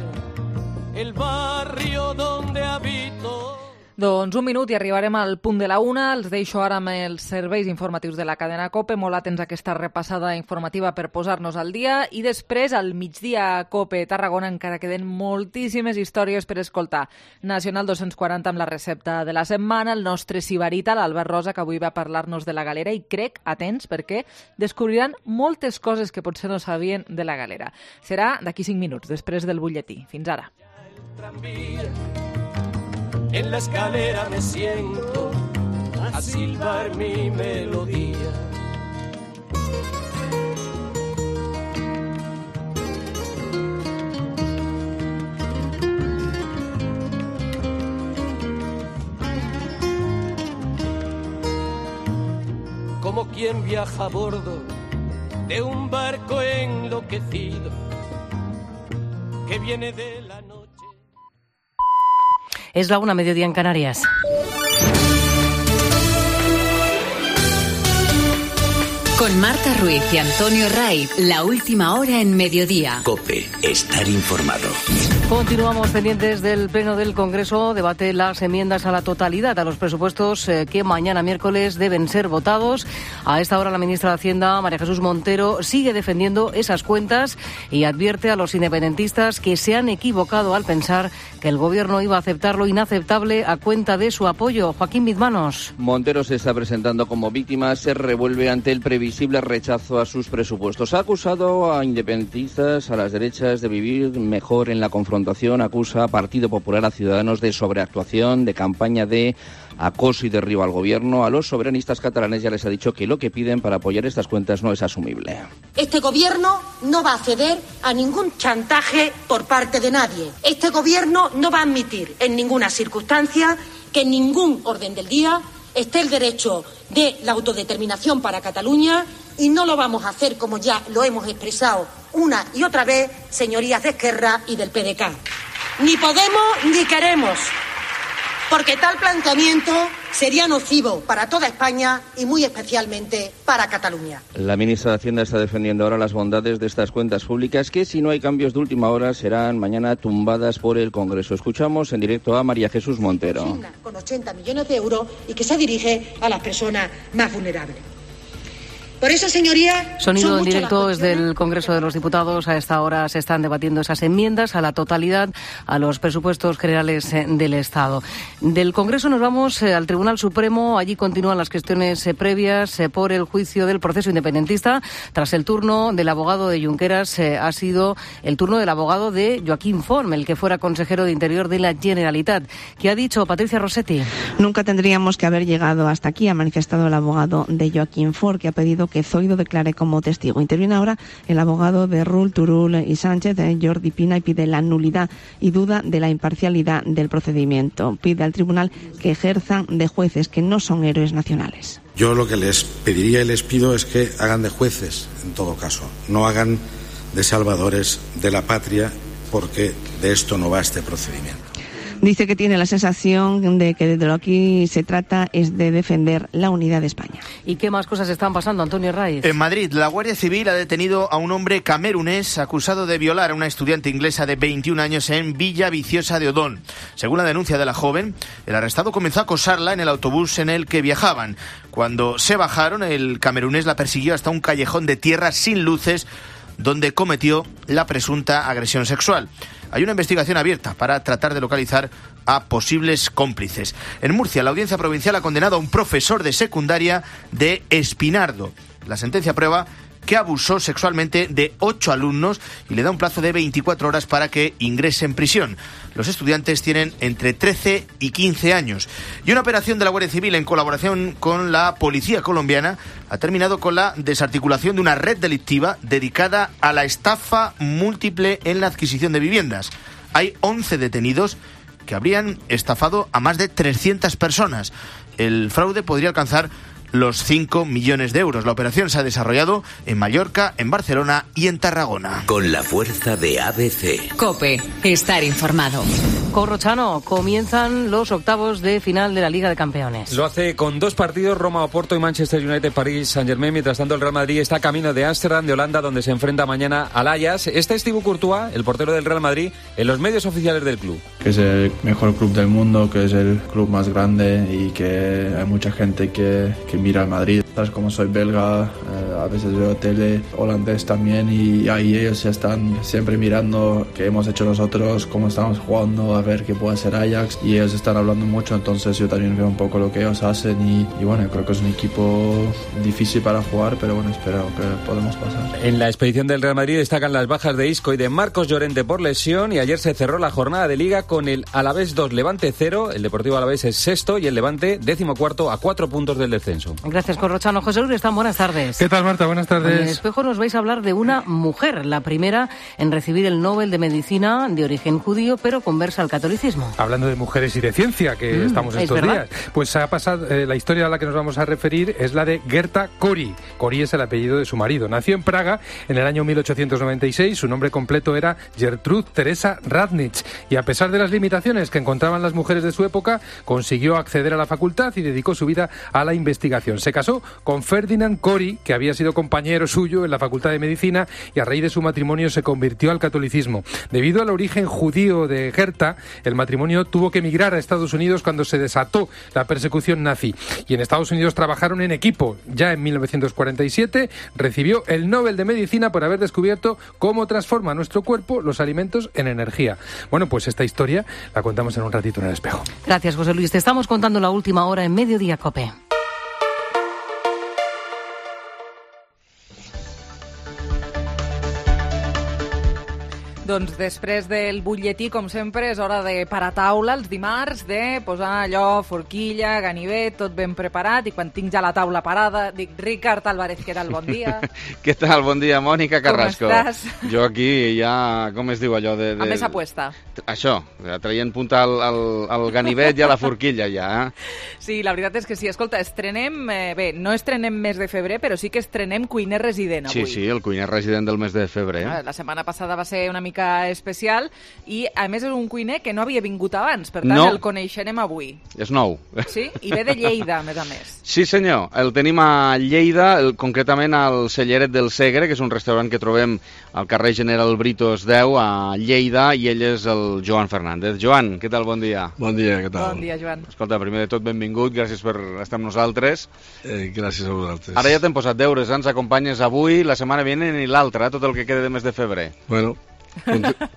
el barrio donde habito. Doncs un minut i arribarem al punt de la una. Els deixo ara amb els serveis informatius de la cadena COPE. Molt atents a aquesta repassada informativa per posar-nos al dia. I després, al migdia COPE Tarragona, encara queden moltíssimes històries per escoltar. Nacional dos-cents quaranta amb la recepta de la setmana, el nostre sibarita, l'Albert Rosa, que avui va parlar-nos de la galera, i crec, atents, perquè descobriran moltes coses que potser no sabien de la galera. Serà d'aquí cinc minuts, després del butlletí. Fins ara. En la escalera me siento a silbar mi melodía. Como quien viaja a bordo de un barco enloquecido que viene de la noche. Es la una, mediodía en Canarias. Con Marta Ruiz y Antonio Raiz, la última hora en mediodía. COPE, estar informado. Continuamos pendientes del Pleno del Congreso. Debate las enmiendas a la totalidad a los presupuestos eh, que mañana miércoles deben ser votados. A esta hora la ministra de Hacienda, María Jesús Montero, sigue defendiendo esas cuentas y advierte a los independentistas que se han equivocado al pensar que el Gobierno iba a aceptar lo inaceptable a cuenta de su apoyo. Joaquín Bizmanos. Montero se está presentando como víctima, se revuelve ante el previsible rechazo a sus presupuestos. Ha acusado a independentistas, a las derechas, de vivir mejor en la confrontación. Acusa a Partido Popular, a Ciudadanos de sobreactuación, de campaña de acoso y derribo al Gobierno. A los soberanistas catalanes ya les ha dicho que lo que piden para apoyar estas cuentas no es asumible. Este Gobierno no va a ceder a ningún chantaje por parte de nadie. Este Gobierno no va a admitir en ninguna circunstancia que en ningún orden del día esté el derecho de la autodeterminación para Cataluña, y no lo vamos a hacer como ya lo hemos expresado una y otra vez, señorías de Esquerra y del P D K. Ni podemos ni queremos, porque tal planteamiento sería nocivo para toda España y muy especialmente para Cataluña. La ministra de Hacienda está defendiendo ahora las bondades de estas cuentas públicas que, si no hay cambios de última hora, serán mañana tumbadas por el Congreso. Escuchamos en directo a María Jesús Montero. Con ochenta millones de euros y que se dirige a las personas más vulnerables. Por eso, señoría... Sonido en directo desde el Congreso de los Diputados. A esta hora se están debatiendo esas enmiendas a la totalidad a los presupuestos generales del Estado. Del Congreso nos vamos al Tribunal Supremo. Allí continúan las cuestiones previas por el juicio del proceso independentista. Tras el turno del abogado de Junqueras, ha sido el turno del abogado de Joaquín Forn, el que fuera consejero de Interior de la Generalitat. ¿Qué ha dicho Patricia Rossetti? Nunca tendríamos que haber llegado hasta aquí, ha manifestado el abogado de Joaquín Forn, que ha pedido que Zoido declare como testigo. Interviene ahora el abogado de Rull, Turull y Sánchez, Jordi Pina, y pide la nulidad y duda de la imparcialidad del procedimiento. Pide al tribunal que ejerzan de jueces que no son héroes nacionales. Yo lo que les pediría y les pido es que hagan de jueces, en todo caso. No hagan de salvadores de la patria, porque de esto no va este procedimiento. Dice que tiene la sensación de que de lo que aquí se trata es de defender la unidad de España. ¿Y qué más cosas están pasando, Antonio Raiz? En Madrid, la Guardia Civil ha detenido a un hombre camerunés acusado de violar a una estudiante inglesa de veintiún años en Villa Viciosa de Odón. Según la denuncia de la joven, el arrestado comenzó a acosarla en el autobús en el que viajaban. Cuando se bajaron, el camerunés la persiguió hasta un callejón de tierra sin luces, donde cometió la presunta agresión sexual. Hay una investigación abierta para tratar de localizar a posibles cómplices. En Murcia, la Audiencia Provincial ha condenado a un profesor de secundaria de Espinardo. La sentencia prueba que abusó sexualmente de ocho alumnos y le da un plazo de veinticuatro horas para que ingrese en prisión. Los estudiantes tienen entre trece y quince años. Y una operación de la Guardia Civil en colaboración con la policía colombiana ha terminado con la desarticulación de una red delictiva dedicada a la estafa múltiple en la adquisición de viviendas. Hay once detenidos que habrían estafado a más de trescientas personas. El fraude podría alcanzar los cinco millones de euros. La operación se ha desarrollado en Mallorca, en Barcelona y en Tarragona. Con la fuerza de A B C. COPE. Estar informado. Corrochano, comienzan los octavos de final de la Liga de Campeones. Lo hace con dos partidos, Roma, Oporto y Manchester United, París, Saint-Germain. Mientras tanto, el Real Madrid está camino de Ámsterdam, de Holanda, donde se enfrenta mañana al Ajax. Está Thibaut Courtois, el portero del Real Madrid, en los medios oficiales del club. Que es el mejor club del mundo, que es el club más grande y que hay mucha gente que, que mira al Madrid. Sabes, como soy belga, eh, a veces veo tele holandés también y ahí ellos están siempre mirando qué hemos hecho nosotros, cómo estamos jugando, a ver qué puede hacer Ajax, y ellos están hablando mucho, entonces yo también veo un poco lo que ellos hacen y, y bueno, creo que es un equipo difícil para jugar, pero bueno, espero que podamos pasar. En la expedición del Real Madrid destacan las bajas de Isco y de Marcos Llorente por lesión, y ayer se cerró la jornada de Liga con el Alavés dos, Levante cero, el Deportivo Alavés es sexto y el Levante décimo cuarto a cuatro puntos del descenso. Gracias, Corrochano. José Luis Están, buenas tardes. ¿Qué tal, Marta? Buenas tardes. En el Espejo nos vais a hablar de una mujer, la primera en recibir el Nobel de Medicina, de origen judío, pero conversa al catolicismo. Hablando de mujeres y de ciencia, que mm, estamos estos días, pues ha pasado, eh, la historia a la que nos vamos a referir es la de Gerta Cori. Cori es el apellido de su marido. Nació en Praga en el año mil ochocientos noventa y seis, su nombre completo era Gertrud Teresa Radnitz, y a pesar de las limitaciones que encontraban las mujeres de su época, consiguió acceder a la facultad y dedicó su vida a la investigación. Se casó con Ferdinand Cori, que había sido compañero suyo en la Facultad de Medicina, y a raíz de su matrimonio se convirtió al catolicismo. Debido al origen judío de Gerta, el matrimonio tuvo que emigrar a Estados Unidos cuando se desató la persecución nazi, y en Estados Unidos trabajaron en equipo. Ya en mil novecientos cuarenta y siete recibió el Nobel de Medicina por haber descubierto cómo transforma nuestro cuerpo los alimentos en energía. Bueno, pues esta historia la contamos en un ratito en el Espejo. Gracias, José Luis. Te estamos contando la última hora en Mediodía COPE. Doncs després del butlletí, com sempre, és hora de parar taula els dimarts, de posar allò, forquilla, ganivet, tot ben preparat, i quan tinc ja la taula parada, dic, Ricard Álvarez, què tal? Bon dia. Què tal? Bon dia, Mònica Carrasco. Com estàs? Jo aquí ja, com es diu allò de... de... A més apuesta. Això, traient punta al, al, al ganivet i a la forquilla ja, eh? Sí, la veritat és que sí. Escolta, estrenem, eh, bé, no estrenem mes de febrer, però sí que estrenem cuiner resident avui. Sí, sí, el cuiner resident del mes de febrer. La setmana passada va ser una mica especial i, a més, és un cuiner que no havia vingut abans, per tant, no. El coneixerem avui. És nou. Sí? I ve de Lleida, a més a més. Sí, senyor. El tenim a Lleida, el, concretament al Celleret del Segre, que és un restaurant que trobem al carrer General Britos deu, a Lleida, i ell és el Joan Fernández. Joan, què tal? Bon dia. Bon dia, què tal? Bon dia, Joan. Escolta, primer de tot, benvingut, gràcies per estar amb nosaltres. Eh, gràcies a vosaltres. Ara ja t'hem posat deures, eh? Ens acompanyes avui, la setmana vinent i l'altra, eh? Tot el que queda de mes de febrer. Bueno,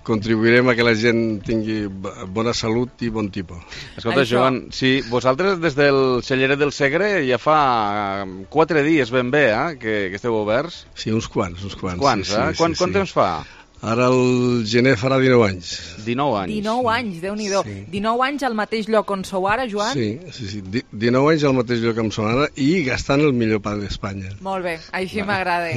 contribuirem a que la gent tingui bona salut i bon tipus. Escolta, Això. Joan, si vosaltres des del Celleret del Segre ja fa quatre dies ben bé, eh, que, que esteu oberts. Sí, uns quants, uns quants. Uns quants, sí, eh? Sí, Quant, sí, quant sí. temps fa? Ara el gener farà dinou anys. dinou anys. dinou anys, Déu-n'hi-do. Sí. dinou anys al mateix lloc on sou ara, Joan? Sí, sí, sí. dinou anys al mateix lloc on som ara i gastant el millor pa d'Espanya. Molt bé, així m'agrada.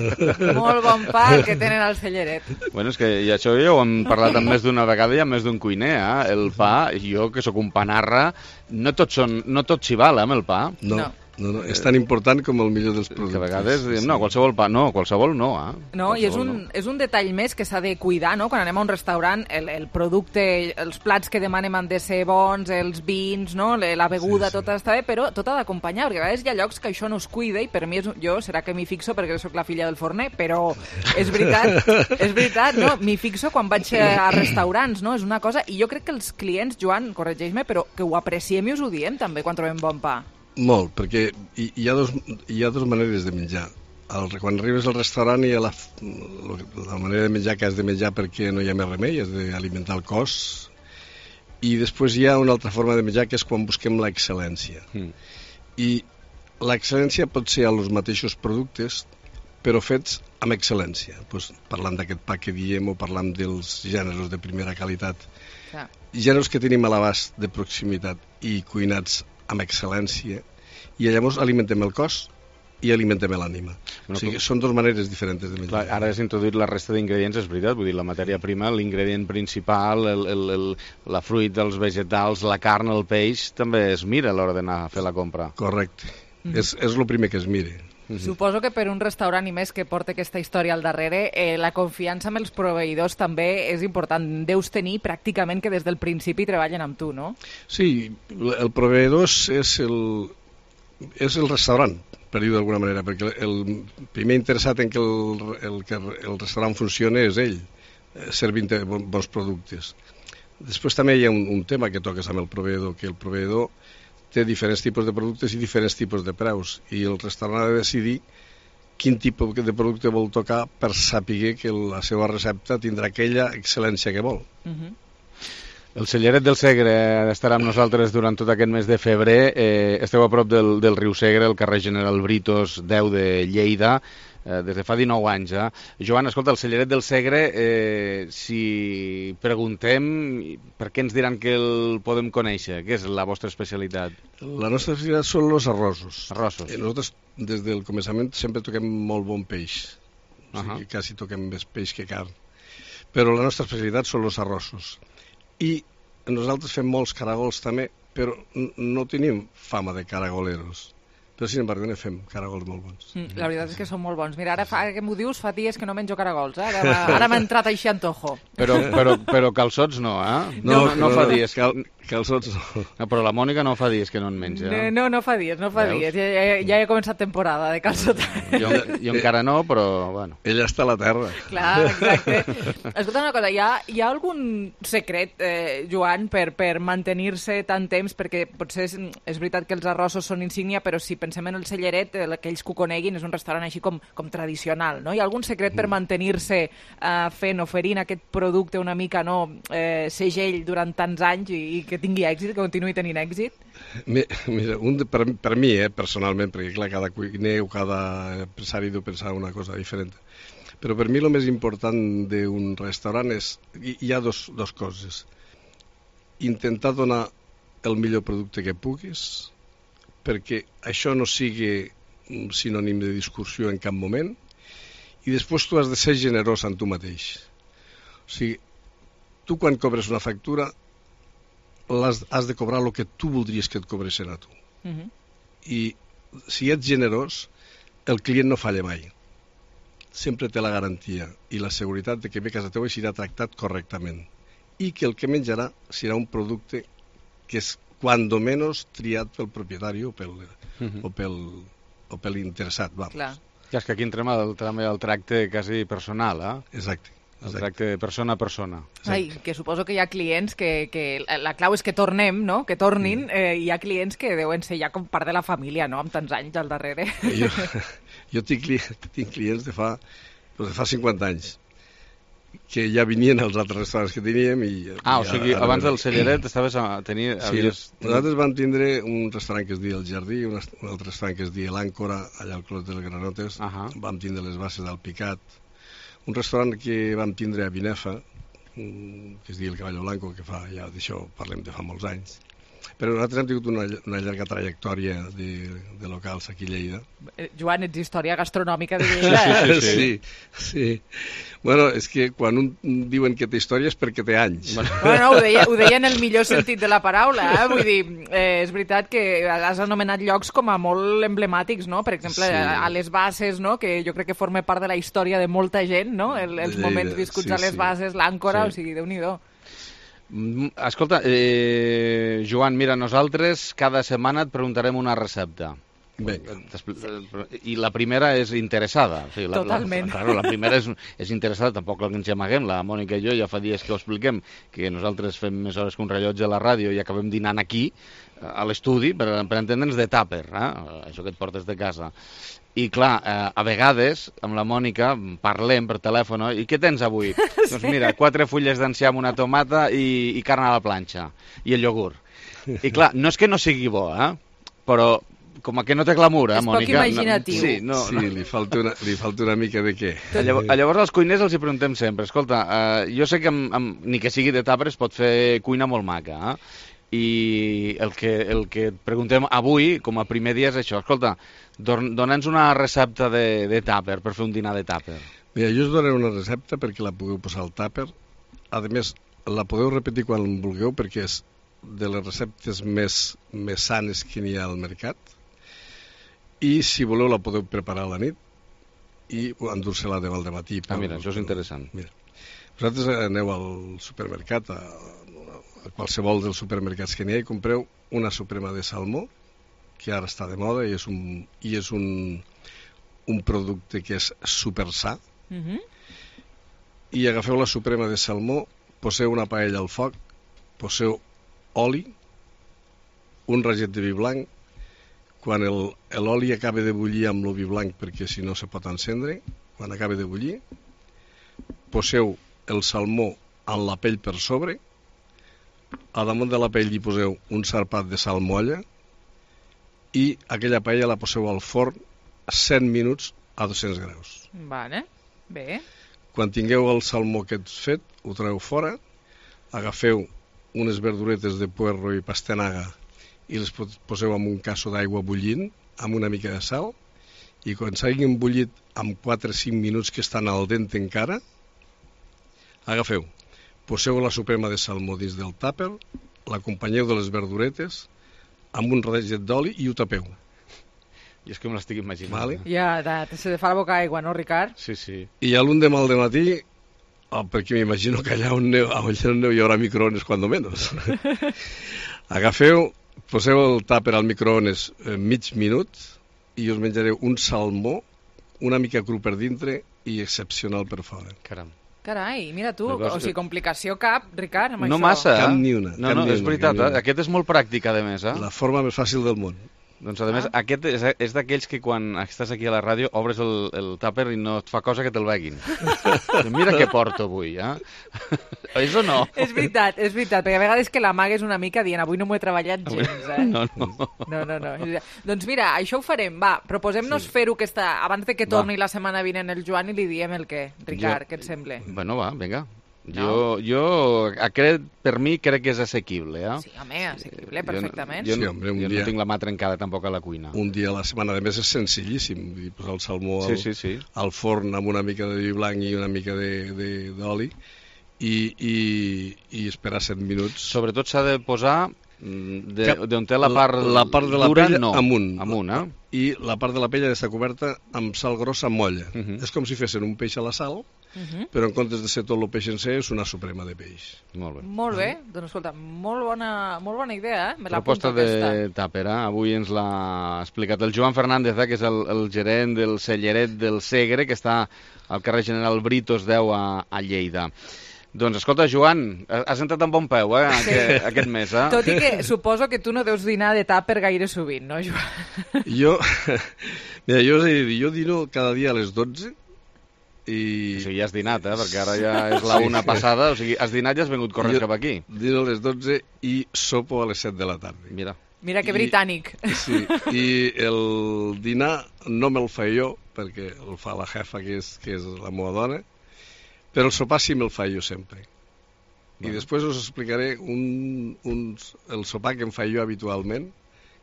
Molt bon pa el que tenen al Celleret. Bueno, és que i això ja ho hem parlat amb més d'una vegada i amb més d'un cuiner, eh? El pa, jo que sóc un panarra, no tot, són, no tot s'hi val, eh, amb el pa. No. no. No, no, és tan important com el millor dels productes. Que a vegades diem, no, qualsevol pa, no, qualsevol no, eh? No, qualsevol i és un, no. és un detall més que s'ha de cuidar, no? Quan anem a un restaurant, el, el producte, els plats que demanem han de ser bons, els vins, no? La beguda, sí, sí. Tot està bé, però tot ha d'acompanyar, perquè a vegades hi ha llocs que això no es cuida i per mi, és, jo, serà que m'hi fixo perquè sóc la filla del forner, però és veritat, és veritat, no? M'hi fixo quan vaig a restaurants, no? És una cosa, i jo crec que els clients, Joan, corregeix-me, però que ho apreciem i us ho diem també quan trobem bon pa. Molt, perquè hi, hi, ha dos, hi ha dues maneres de menjar. El, quan arribes al restaurant hi ha la, la manera de menjar que has de menjar perquè no hi ha més remei, has d'alimentar el cos, i després hi ha una altra forma de menjar que és quan busquem l'excel·lència. Mm. I l'excel·lència pot ser a els mateixos productes, però fets amb excel·lència. Pues, parlant d'aquest pa que diem o parlant dels gèneres de primera qualitat. Ah. Gèneres que tenim a l'abast de proximitat i cuinats amb excel·lència, i llavors alimentem el cos i alimentem l'ànima. Bueno, o sigui, són dues maneres diferents de menjar. Clar, ara has introduït la resta d'ingredients, és veritat, vull dir, la matèria prima, l'ingredient principal, el, el, el, la fruita, els vegetals, la carn, el peix, també es mira a l'hora d'anar a fer la compra. Correcte. Mm. És, és el primer que es mire. Suposo que per un restaurant i més que porta aquesta història al darrere, eh, la confiança amb els proveïdors també és important. Deus tenir pràcticament que des del principi treballen amb tu, no? Sí, el proveïdor és el, és el restaurant, per dir-ho d'alguna manera, perquè el primer interessat en que el, el, que el restaurant funcioni és ell, servint bons productes. Després també hi ha un, un tema que toques amb el proveïdor, que el proveïdor té diferents tipus de productes i diferents tipus de preus, i el restaurant ha de decidir quin tipus de producte vol tocar per saber que la seva recepta tindrà aquella excel·lència que vol. Uh-huh. El Celleret del Segre estarà amb nosaltres durant tot aquest mes de febrer. Eh, esteu a prop del, del riu Segre, al carrer General Britos deu de Lleida, eh, des de fa dinou anys. Eh? Joan, escolta, el Celleret del Segre, eh, si preguntem, per què ens diran que el podem conèixer? Què és la vostra especialitat? La nostra especialitat són els arrossos. Arrossos. Eh, nosaltres, des del començament, sempre toquem molt bon peix. O sigui, Uh-huh. quasi toquem més peix que carn. Però la nostra especialitat són els arrossos. I nosaltres fem molts caragols també, però no tenim fama de caragoleros. Però, sin embargo, ne fem caragols molt bons. Mm, la veritat és que són molt bons. Mira, ara, fa, ara que m'ho dius, fa dies que no menjo caragols, eh? Ara, ara m'ha entrat així antojo. Però, però, però calçots no, eh? No, no, no, no fa dies. Cal, calçots no. no. Però la Mònica no fa dies que no en menja. No, no, no fa dies, no fa Veus? dies. Ja, ja, ja he començat temporada de calçot. Jo, jo encara no, però, bueno. Ella està a la terra. Clar, exacte. Escolta una cosa, hi ha, hi ha algun secret, eh, Joan, per, per mantenir-se tant temps? Perquè potser és, és veritat que els arrossos són insígnia, però si pensem en el Celleret, aquells que ho coneguin, és un restaurant així com, com tradicional, no? Hi ha algun secret per mantenir-se eh, fent, oferint aquest producte una mica, no, eh, segell durant tants anys i, i que tingui èxit, que continuï tenint èxit? Mira, un de, per, per mi, eh, personalment, perquè clar, cada cuiner o cada empresari deu pensar una cosa diferent, però per mi el més important d'un restaurant és, hi, hi ha dos, dos coses. Intentar donar el millor producte que puguis, perquè això no sigui un sinònim de discussió en cap moment, i després tu has de ser generós amb tu mateix. O sigui, tu quan cobres una factura has, has de cobrar el que tu voldries que et cobressin a tu. Uh-huh. I si ets generós, el client no falla mai. Sempre té la garantia i la seguretat de que ve a casa teva i serà tractat correctament. I que el que menjarà serà un producte que és cuando menos triat pel propietari o pel, uh-huh. o pel, o pel interessat. Vamos. Clar. Ja, és que aquí entrem al, també al tracte quasi personal, eh? Exacte. El tracte de persona a persona. Ai, que suposo que hi ha clients que, que la clau és que tornem, no? Que tornin. Eh, hi ha clients que deuen ser ja com part de la família, no? Amb tants anys al darrere. Jo, jo tinc, tinc clients de fa, de fa cinquanta anys que ja venien als altres restaurants que teníem i... Ah, i o sigui, a, abans del Celleret estaves a tenir... Sí, havies... nosaltres vam tindre un restaurant que es deia El Jardí, un, un altre restaurant que es deia L'Àncora, allà al Clos dels Granotes, uh-huh. Vam tindre les bases del Picat, un restaurant que vam tindre a Binefa, que es deia El Caballo Blanco, que fa, ja d'això parlem de fa molts anys. Però nosaltres hem tingut una, una llarga trajectòria de, de locals aquí a Lleida. Eh, Joan, ets història gastronòmica de Lleida, eh? Sí, sí, sí. Bueno, és que quan un diuen que té història és perquè té anys. Bueno, ho deia, ho deia en el millor sentit de la paraula, eh? Vull dir, eh, és veritat que has anomenat llocs com a molt emblemàtics, no? Per exemple, sí. a, a les Bases, no? Que jo crec que forma part de la història de molta gent, no? El, els Lleida, moments viscuts sí, a les sí. Bases, l'Àncora, Sí. o sigui, Déu-n'hi-do. Escolta, eh, Joan, mira, nosaltres cada setmana et preguntarem una recepta. Vinga. I la primera és interessada. O sigui, la, Totalment. La, claro, la primera és, és interessada, tampoc ens amaguem. La Mònica i jo ja fa dies que ho expliquem, que nosaltres fem més hores que un rellotge a la ràdio i acabem dinant aquí, a l'estudi, per, per entendre'ns de tàper, eh? Això que et portes de casa. I clar, eh, a vegades amb la Mònica parlem per telèfon, no? I què tens avui? Sí. Doncs mira, quatre fulles d'enciam, una tomata i, i carn a la planxa, i el iogurt. I clar, no és que no sigui bo, eh? Però com que no té glamour, eh, Mònica? És poc imaginatiu. No, sí, no, sí no. Li, falta una, li falta una mica de què. Llavors, llavors als cuiners els hi preguntem sempre, escolta, eh, jo sé que amb, amb, ni que sigui de tàper es pot fer cuina molt maca, eh? I el que, el que et preguntem avui, com a primer dia, és això. Escolta, dona'ns una recepta de, de tàper, per fer un dinar de tàper. Mira, jo us donaré una recepta perquè la pugueu posar al tàper. A més, la podeu repetir quan vulgueu perquè és de les receptes més, més sanes que n'hi ha al mercat i si voleu la podeu preparar a la nit i endur-se-la demà al matí. Ah, mira, això és interessant. Mira, vosaltres aneu al supermercat, a, a qualsevol dels supermercats que n'hi ha, i compreu una suprema de salmó, que ara està de moda i és un, i és un, un producte que és super sa, Uh-huh. i agafeu la suprema de salmó, poseu una paella al foc, poseu oli, un raget de vi blanc, quan el, l'oli acaba de bullir amb el vi blanc, perquè si no se pot encendre, quan acaba de bullir, poseu el salmó en la pell per sobre, a damunt de la pell hi poseu un sarpat de sal molla i aquella paella la poseu al forn cent minuts a dos-cents graus. Vale, bé. Quan tingueu el salmó aquest fet, ho treu fora, agafeu unes verduretes de puerro i pastanaga i les poseu en un casso d'aigua bullint amb una mica de sal, i quan s'hagin bullit amb quatre o cinc minuts que estan al dent encara, agafeu, poseu la suprema de salmó dins del tàper, l'acompanyeu de les verduretes amb un raget d'oli i ho tapeu. I és que me l'estic imaginant. Vale. Ja, de, se te fa la boca aigua, no, Ricard? Sí, sí. I a l'un demà al dematí, oh, perquè m'imagino que allà on neu, allà on neu hi haurà microones, cuando menos. Agafeu, poseu el tàper al microones eh, mig minut i us menjareu un salmó una mica cru per dintre i excepcional per fora. Caram. Carai, mira tu, o sigui, complicació cap, Ricard, amb no això. Massa, Cap ni una. No, cap no, ni és una, veritat, una. Eh? Aquest és molt pràctic, a més. Eh? La forma més fàcil del món. Doncs, a més, ah. aquest és, és d'aquells que quan estàs aquí a la ràdio obres el, el tàper i no et fa cosa que te'l veguin. Mira què porto avui, eh? És o no? És veritat, és veritat, perquè a vegades que l'amagues una mica dient avui no m'ho he treballat gens, eh? No, no. No, no, no. Doncs mira, això ho farem, va, proposem-nos sí. fer-ho aquesta, abans de que torni va. La setmana vinent el Joan i li diem el què, Ricard, jo... què et sembla? Bueno, va, vinga. No? Jo, jo aquest, per mi crec que és assequible, eh? Sí, home, assequible, perfectament. Jo, no, jo, sí, hombre, un jo dia, no tinc la mà trencada tampoc a la cuina. Un dia a la setmana, a més és senzillíssim, posar el salmó al, sí, sí, sí. al forn amb una mica de vi blanc i una mica d'oli i, i, i esperar set minuts. Sobretot s'ha de posar d'on té la part, la part de la dura, pell no. amunt, amunt eh? I la part de la pell ha d'estar coberta amb sal grossa amb molla. Uh -huh. És com si fessin un peix a la sal, Uh -huh. però en comptes de ser tot el peix en ser és una suprema de peix. Molt bé. Molt bé, doncs escolta, molt bona, molt bona idea, eh? Me proposta de tàper, eh? Avui ens l'ha explicat el Joan Fernández, eh? Que és el, el gerent del celleret del Segre, que està al carrer General Britos deu a, a Lleida. Doncs escolta, Joan, has entrat amb bon peu, eh, sí. aquest, aquest mes, eh? Tot i que suposo que tu no deus dinar de tàper gaire sovint, no, Joan? Jo, mira, jo, jo dino cada dia a les dotze i... O sigui, ja has dinat, eh? Perquè ara ja és la una sí, passada, o sigui, has dinat i has vingut corrent jo cap aquí. Dino a les dotze i sopo a les set de la tarda. Mira. Mira que I, britànic. Sí, i el dinar no me'l fa jo, perquè el fa la jefa, que és, que és la meva dona, però el sopar sí me'l fa jo sempre. I després us explicaré un, un, el sopar que em fa jo habitualment,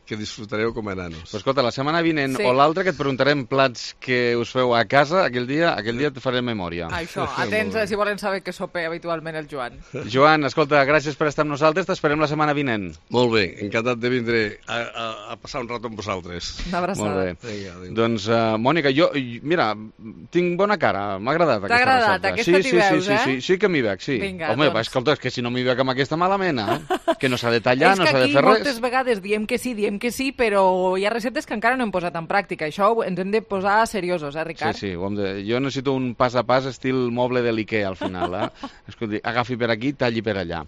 que disfrutareu com a nanos. Però escolta, la setmana vinent Sí. o l'altra que et preguntarem plats que us feu a casa, aquell dia aquell dia et faré memòria. Això, atents eh, si volen saber què sopa habitualment el Joan. Joan, escolta, gràcies per estar amb nosaltres, t'esperem la setmana vinent. Molt bé, encantat de vindre a, a, a passar un rato amb vosaltres. Una abraçada. Molt bé. Vinga, adéu. Doncs, uh, Mònica, jo, mira, tinc bona cara, m'ha agradat aquesta agradat? recepta. Aquesta sí, t'hi sí, veus, sí, eh? sí, sí, sí que m'hi veig, sí. Vinga, Home, doncs. va, escolta, és que si no m'hi veig amb aquesta mala mena, que no s'ha de tallar, no s'ha de És que fer aquí res. moltes vegades diem que sí, diem que sí, però hi ha receptes que encara no hem posat en pràctica. Això ens hem de posar seriosos, eh, Ricard? Sí, sí, ho hem de... jo necessito un pas a pas estil moble de l'Ikea al final, eh? Escolti, agafi per aquí, talli per allà.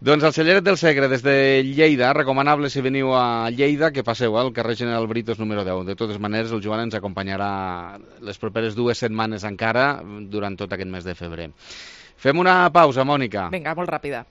Doncs el celleret del Segre, des de Lleida, recomanable si veniu a Lleida, que passeu al carrer General Britos número deu. De totes maneres, el Joan ens acompanyarà les properes dues setmanes encara durant tot aquest mes de febrer. Fem una pausa, Mònica. Vinga, molt ràpida.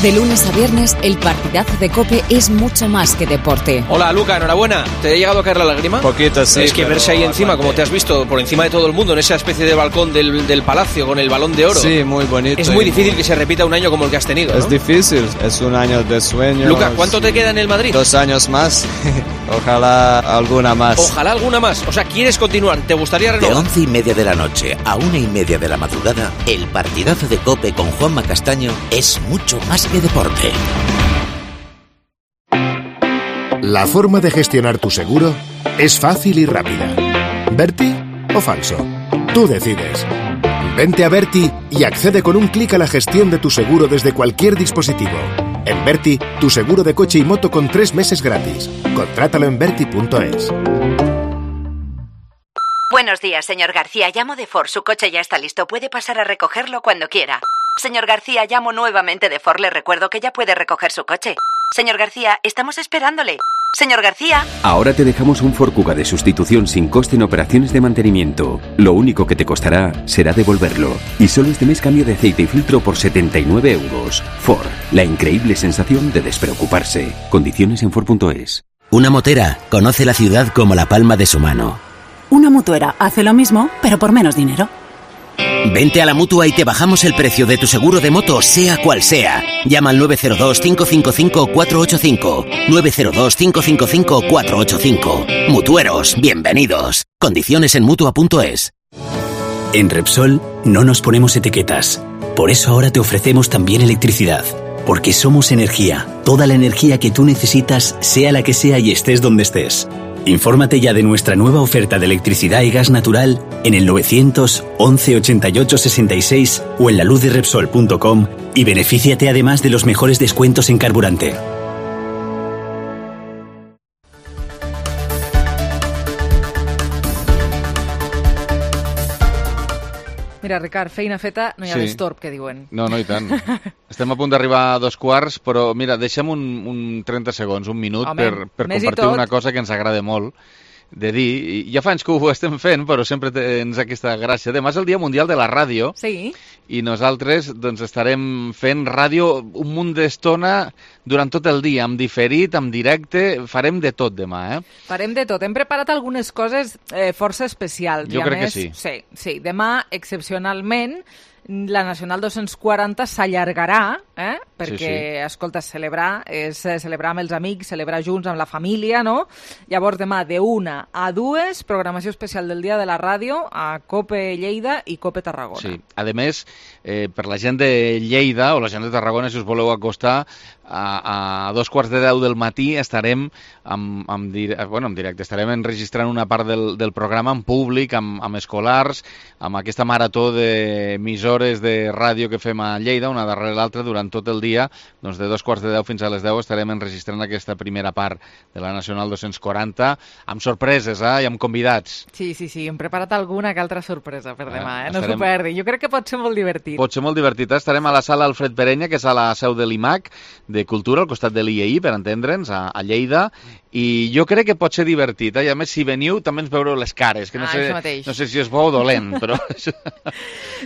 De lunes a viernes, el partidazo de COPE es mucho más que deporte. Hola, Luca, enhorabuena. ¿Te ha llegado a caer la lágrima? Poquito, sí. Es que verse ahí encima, como te has visto, por encima de todo el mundo, en esa especie de balcón del, del palacio con el balón de oro. Sí, muy bonito. Es muy difícil que se repita un año como el que has tenido, Es ¿no? difícil, es un año de sueño. Luca, ¿cuánto te queda en el Madrid? Dos años más. Ojalá alguna más. Ojalá alguna más. O sea, ¿quieres continuar? ¿Te gustaría De renovar? once y media de la noche a una y media de la madrugada, el partidazo de COPE con Juanma Castaño es mucho más que deporte. La forma de gestionar tu seguro es fácil y rápida. ¿Berti o falso? Tú decides. Vente a Berti y accede con un clic a la gestión de tu seguro desde cualquier dispositivo. En Berti, tu seguro de coche y moto con tres meses gratis. Contrátalo en berti punto es. Buenos días, señor García. Llamo de Ford. Su coche ya está listo. Puede pasar a recogerlo cuando quiera. Señor García, llamo nuevamente de Ford. Le recuerdo que ya puede recoger su coche. Señor García, estamos esperándole. Señor García. Ahora te dejamos un Ford Kuga de sustitución sin coste en operaciones de mantenimiento. Lo único que te costará será devolverlo. Y solo este mes cambio de aceite y filtro por setenta y nueve euros. Ford, la increíble sensación de despreocuparse. Condiciones en Ford punto es. Una motera conoce la ciudad como la palma de su mano. Una mutuera hace lo mismo, pero por menos dinero. Vente a la Mutua y te bajamos el precio de tu seguro de moto, sea cual sea. Llama al nueve cero dos, cinco cinco cinco, cuatro ocho cinco. nueve cero dos, cinco cinco cinco, cuatro ocho cinco. Mutueros, bienvenidos. Condiciones en Mutua punto es. En Repsol no nos ponemos etiquetas. Por eso ahora te ofrecemos también electricidad. Porque somos energía. Toda la energía que tú necesitas, sea la que sea y estés donde estés. Infórmate ya de nuestra nueva oferta de electricidad y gas natural en el novecientos, once, ochenta y ocho, sesenta y seis o en la luz de repsol punto com y benefíciate además de los mejores descuentos en carburante. Mira, Ricard, feina feta, no hi ha Sí. destorb, que diuen. No, no, i tant. Estem a punt d'arribar a dos quarts, però mira, deixa'm un, un trenta segons, un minut, Home, per, per més i compartir tot. una cosa que ens agrada molt de dir. I ja fa anys que ho estem fent, però sempre tens aquesta gràcia. Demà és el Dia Mundial de la Ràdio Sí. i nosaltres doncs, estarem fent ràdio un munt d'estona durant tot el dia, amb diferit, amb directe, farem de tot demà, eh? Farem de tot. Hem preparat algunes coses eh, força especials. Jo I a crec que més, sí. Sí, sí. Demà, excepcionalment, la Nacional dos-cents quaranta s'allargarà, eh? perquè, Sí, sí. escolta, celebrar és eh, celebrar amb els amics, celebrar junts amb la família, no? Llavors, demà, de una a dues, programació especial del Dia de la Ràdio a COPE Lleida i COPE Tarragona. Sí. A més, eh, per la gent de Lleida o la gent de Tarragona, si us voleu acostar, a, a dos quarts de deu del matí estarem amb, amb, dir, bueno, en directe, estarem enregistrant una part del, del programa en públic, amb, amb escolars, amb aquesta marató d'emissores de ràdio que fem a Lleida, una darrere l'altra, durant tot el dia, doncs de dos quarts de deu fins a les deu estarem enregistrant aquesta primera part de la Nacional dos-cents quaranta, amb sorpreses, eh, i amb convidats. Sí, sí, sí, hem preparat alguna que altra sorpresa per demà, eh? No estarem- s'ho perdi. Jo crec que pot ser molt divertit. Pot ser molt divertit. eh? Estarem a la sala Alfred Perenya, que és a la seu de l'I M A C, de Cultura, al costat de l'I E I, per entendre'ns, a, a Lleida, i jo crec que pot ser divertit. Eh? I a més, si veniu, també ens veureu les cares, que no, Ah, sé, això mateix. no sé si és bo o dolent, però...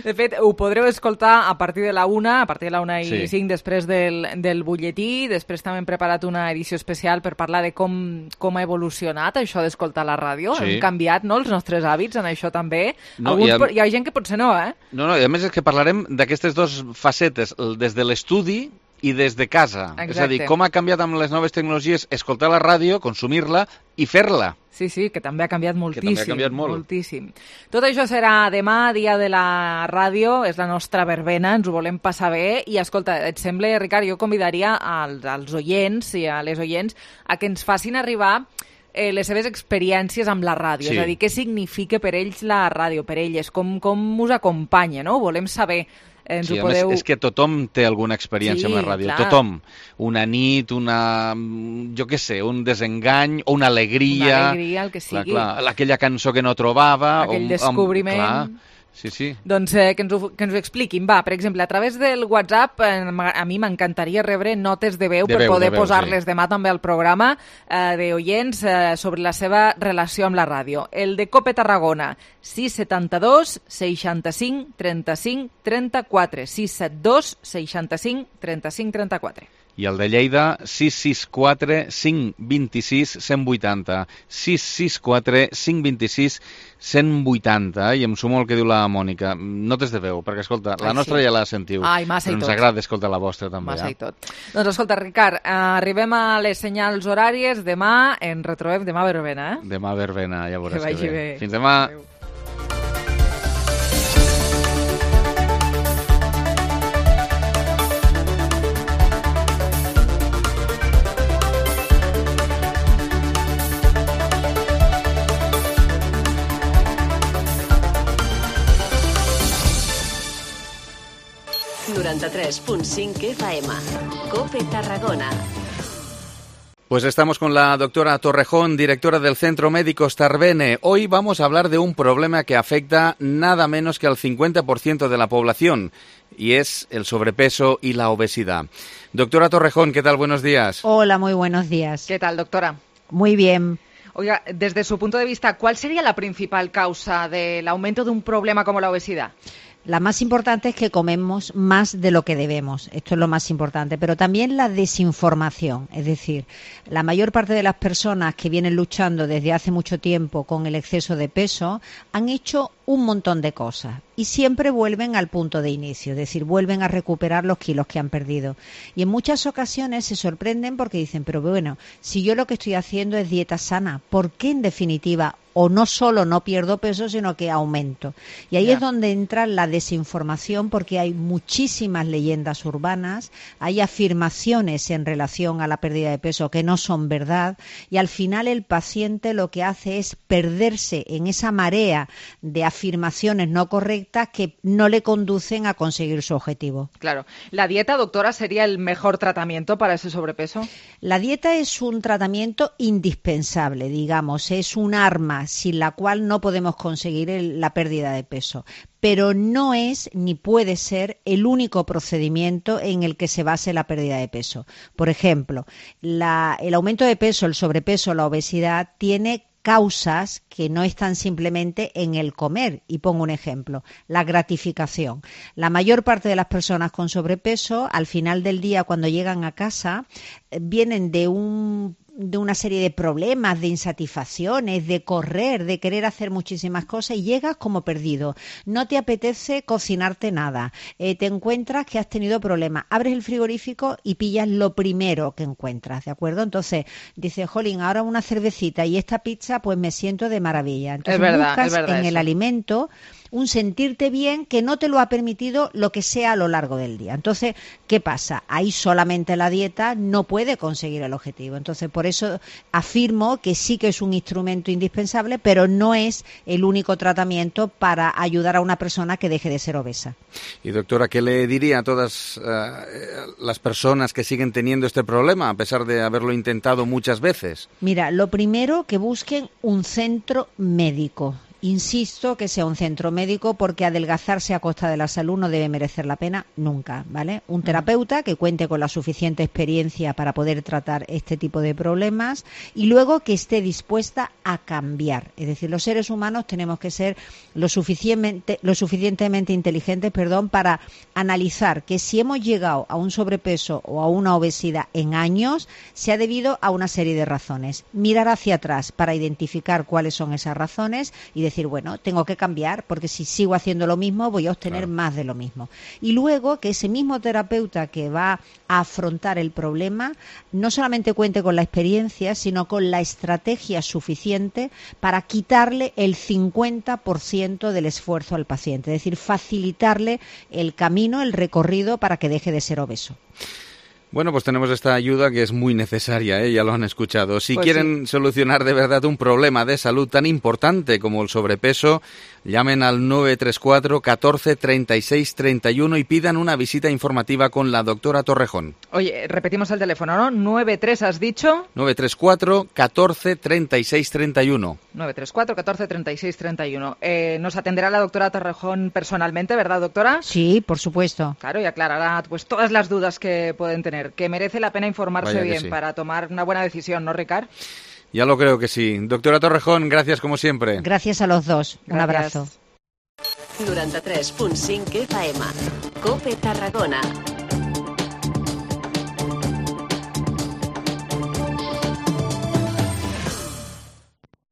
De fet, ho podreu escoltar a partir de la una, a partir de la una i Sí. cinc, després del, del butlletí. Després també hem preparat una edició especial per parlar de com, com ha evolucionat això d'escoltar la ràdio. Sí. Hem canviat, no?, els nostres hàbits en això també. No, Alguns, i a- po- hi ha gent que potser no, eh? No, no, i a més és que parlarem d'aquestes dues facetes, el- des de l'estudi i des de casa. És a dir, Exacte. com ha canviat amb les noves tecnologies escoltar la ràdio, consumir-la i fer-la. Sí, sí, que també ha canviat moltíssim. també ha canviat molt. Moltíssim. Tot això serà demà, dia de la ràdio, és la nostra verbena, ens ho volem passar bé. I escolta, et sembla, Ricard, jo convidaria als, als oients i a les oients a que ens facin arribar eh, les seves experiències amb la ràdio. Sí. És a dir, què significa per ells la ràdio, per elles, com, com us acompanya, no? Ho volem saber. Ens Sí, ho a podeu... més, és que tothom té alguna experiència Sí, amb la ràdio, clar. tothom. Una nit, una... jo què sé, un desengany, o una alegria... Una alegria, el que sigui. Clar, clar, aquella cançó que no trobava... Aquell o, descobriment. Amb, clar, sí, sí. Doncs eh, que, ens ho, que ens ho expliquin. Va, per exemple, a través del WhatsApp, eh, a mi m'encantaria rebre notes de veu De per veu, poder de veu, posar-les sí. demà també al programa eh, d'oients eh, sobre la seva relació amb la ràdio. El de COPE Tarragona, sis setanta dos, seixanta-cinc, trenta-cinc, trenta-quatre. sis setanta dos, seixanta-cinc, trenta-cinc, trenta-quatre. I el de Lleida, sis sis quatre, cinc dos sis, cent vuitanta. sis sis quatre, cinc dos sis, cent vuitanta. I em sumo al que diu la Mònica. Notes de veu, perquè, escolta, la Ai, nostra sí. ja la sentiu. Ai, massa i però ens tot. agrada escoltar la vostra, també. Massa eh? i tot. Doncs escolta, Ricard, eh, arribem a les senyals horàries. Demà ens retrobem, demà a verbena, eh? Demà a verbena, ja veuràs Que vagi bé. Fins demà. Adéu. noranta-tres punt cinc F M. COPE Tarragona. Pues estamos con la doctora Torrejón, directora del Centro Médico Starbene. Hoy vamos a hablar de un problema que afecta nada menos que al cincuenta por ciento de la población, y es el sobrepeso y la obesidad. Doctora Torrejón, ¿qué tal? Buenos días. Hola, muy buenos días. ¿Qué tal, doctora? Muy bien. Oiga, desde su punto de vista, ¿cuál sería la principal causa del aumento de un problema como la obesidad? La más importante es que comemos más de lo que debemos. Esto es lo más importante. Pero también la desinformación. Es decir, la mayor parte de las personas que vienen luchando desde hace mucho tiempo con el exceso de peso han hecho un montón de cosas y siempre vuelven al punto de inicio, es decir, vuelven a recuperar los kilos que han perdido. Y en muchas ocasiones se sorprenden porque dicen, pero bueno, si yo lo que estoy haciendo es dieta sana, ¿por qué en definitiva o no solo no pierdo peso, sino que aumento? Y ahí yeah. es donde entra la desinformación, porque hay muchísimas leyendas urbanas, hay afirmaciones en relación a la pérdida de peso que no son verdad, y al final el paciente lo que hace es perderse en esa marea de afirmaciones no correctas que no le conducen a conseguir su objetivo. Claro. ¿La dieta, doctora, sería el mejor tratamiento para ese sobrepeso? La dieta es un tratamiento indispensable, digamos, es un arma sin la cual no podemos conseguir el, la pérdida de peso. Pero no es ni puede ser el único procedimiento en el que se base la pérdida de peso. Por ejemplo, la, el aumento de peso, el sobrepeso, la obesidad tiene causas que no están simplemente en el comer. Y pongo un ejemplo, la gratificación. La mayor parte de las personas con sobrepeso, al final del día, cuando llegan a casa, vienen de un de una serie de problemas, de insatisfacciones, de correr, de querer hacer muchísimas cosas y llegas como perdido. No te apetece cocinarte nada. Eh, te encuentras que has tenido problemas. Abres el frigorífico y pillas lo primero que encuentras, ¿de acuerdo? Entonces dices, jolín, ahora una cervecita y esta pizza, pues me siento de maravilla. Entonces es verdad, buscas es verdad en eso. el alimento un sentirte bien que no te lo ha permitido lo que sea a lo largo del día. Entonces, ¿qué pasa? Ahí solamente la dieta no puede conseguir el objetivo. Entonces, por eso afirmo que sí que es un instrumento indispensable, pero no es el único tratamiento para ayudar a una persona que deje de ser obesa. Y doctora, ¿qué le diría a todas uh, las personas que siguen teniendo este problema, a pesar de haberlo intentado muchas veces? Mira, lo primero, que busquen un centro médico. Insisto que sea un centro médico, porque adelgazarse a costa de la salud no debe merecer la pena nunca, ¿vale? Un terapeuta que cuente con la suficiente experiencia para poder tratar este tipo de problemas y luego que esté dispuesta a cambiar. Es decir, los seres humanos tenemos que ser lo suficientemente, lo suficientemente inteligentes, perdón, para analizar que si hemos llegado a un sobrepeso o a una obesidad en años, se ha debido a una serie de razones. Mirar hacia atrás para identificar cuáles son esas razones y decir, bueno, tengo que cambiar, porque si sigo haciendo lo mismo voy a obtener claro. más de lo mismo. Y luego que ese mismo terapeuta que va a afrontar el problema no solamente cuente con la experiencia, sino con la estrategia suficiente para quitarle el cincuenta por ciento del esfuerzo al paciente, es decir, facilitarle el camino, el recorrido para que deje de ser obeso. Bueno, pues tenemos esta ayuda que es muy necesaria, ¿eh? Ya lo han escuchado. Si pues quieren sí. solucionar de verdad un problema de salud tan importante como el sobrepeso, llamen al nueve tres cuatro, catorce, treinta y seis, treinta y uno y pidan una visita informativa con la doctora Torrejón. Oye, repetimos el teléfono, ¿no? nueve tres, ¿has dicho? nueve tres cuatro, catorce, treinta y seis, treinta y uno. nueve tres cuatro, catorce, treinta y seis, treinta y uno. Eh, nos atenderá la doctora Torrejón personalmente, ¿verdad, doctora? Sí, por supuesto. Claro, y aclarará pues todas las dudas que pueden tener. Que merece la pena informarse Vaya bien sí. para tomar una buena decisión, ¿no, Ricard? Ya lo creo que sí. Doctora Torrejón, gracias como siempre. Gracias a los dos. Un Gracias. abrazo. noranta-tres punt cinc F M. COPE Tarragona.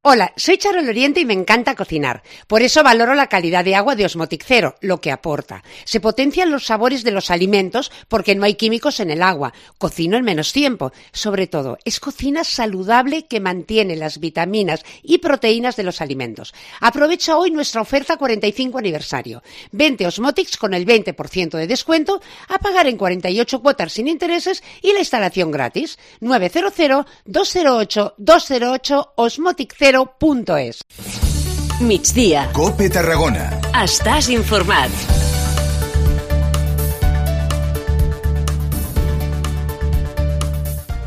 Hola, soy Charo Loriente y me encanta cocinar. Por eso valoro la calidad de agua de Osmotic Zero, lo que aporta. Se potencian los sabores de los alimentos porque no hay químicos en el agua. Cocino en menos tiempo. Sobre todo, es cocina saludable que mantiene las vitaminas y proteínas de los alimentos. Aprovecha hoy nuestra oferta cuarenta y cinco aniversario. veinte Osmotics con el veinte por ciento de descuento, a pagar en cuarenta y ocho cuotas sin intereses y la instalación gratis. nueve cero cero, dos cero ocho, dos cero ocho osmotic zero punto es. Migdia. COPE Tarragona. Estàs informat.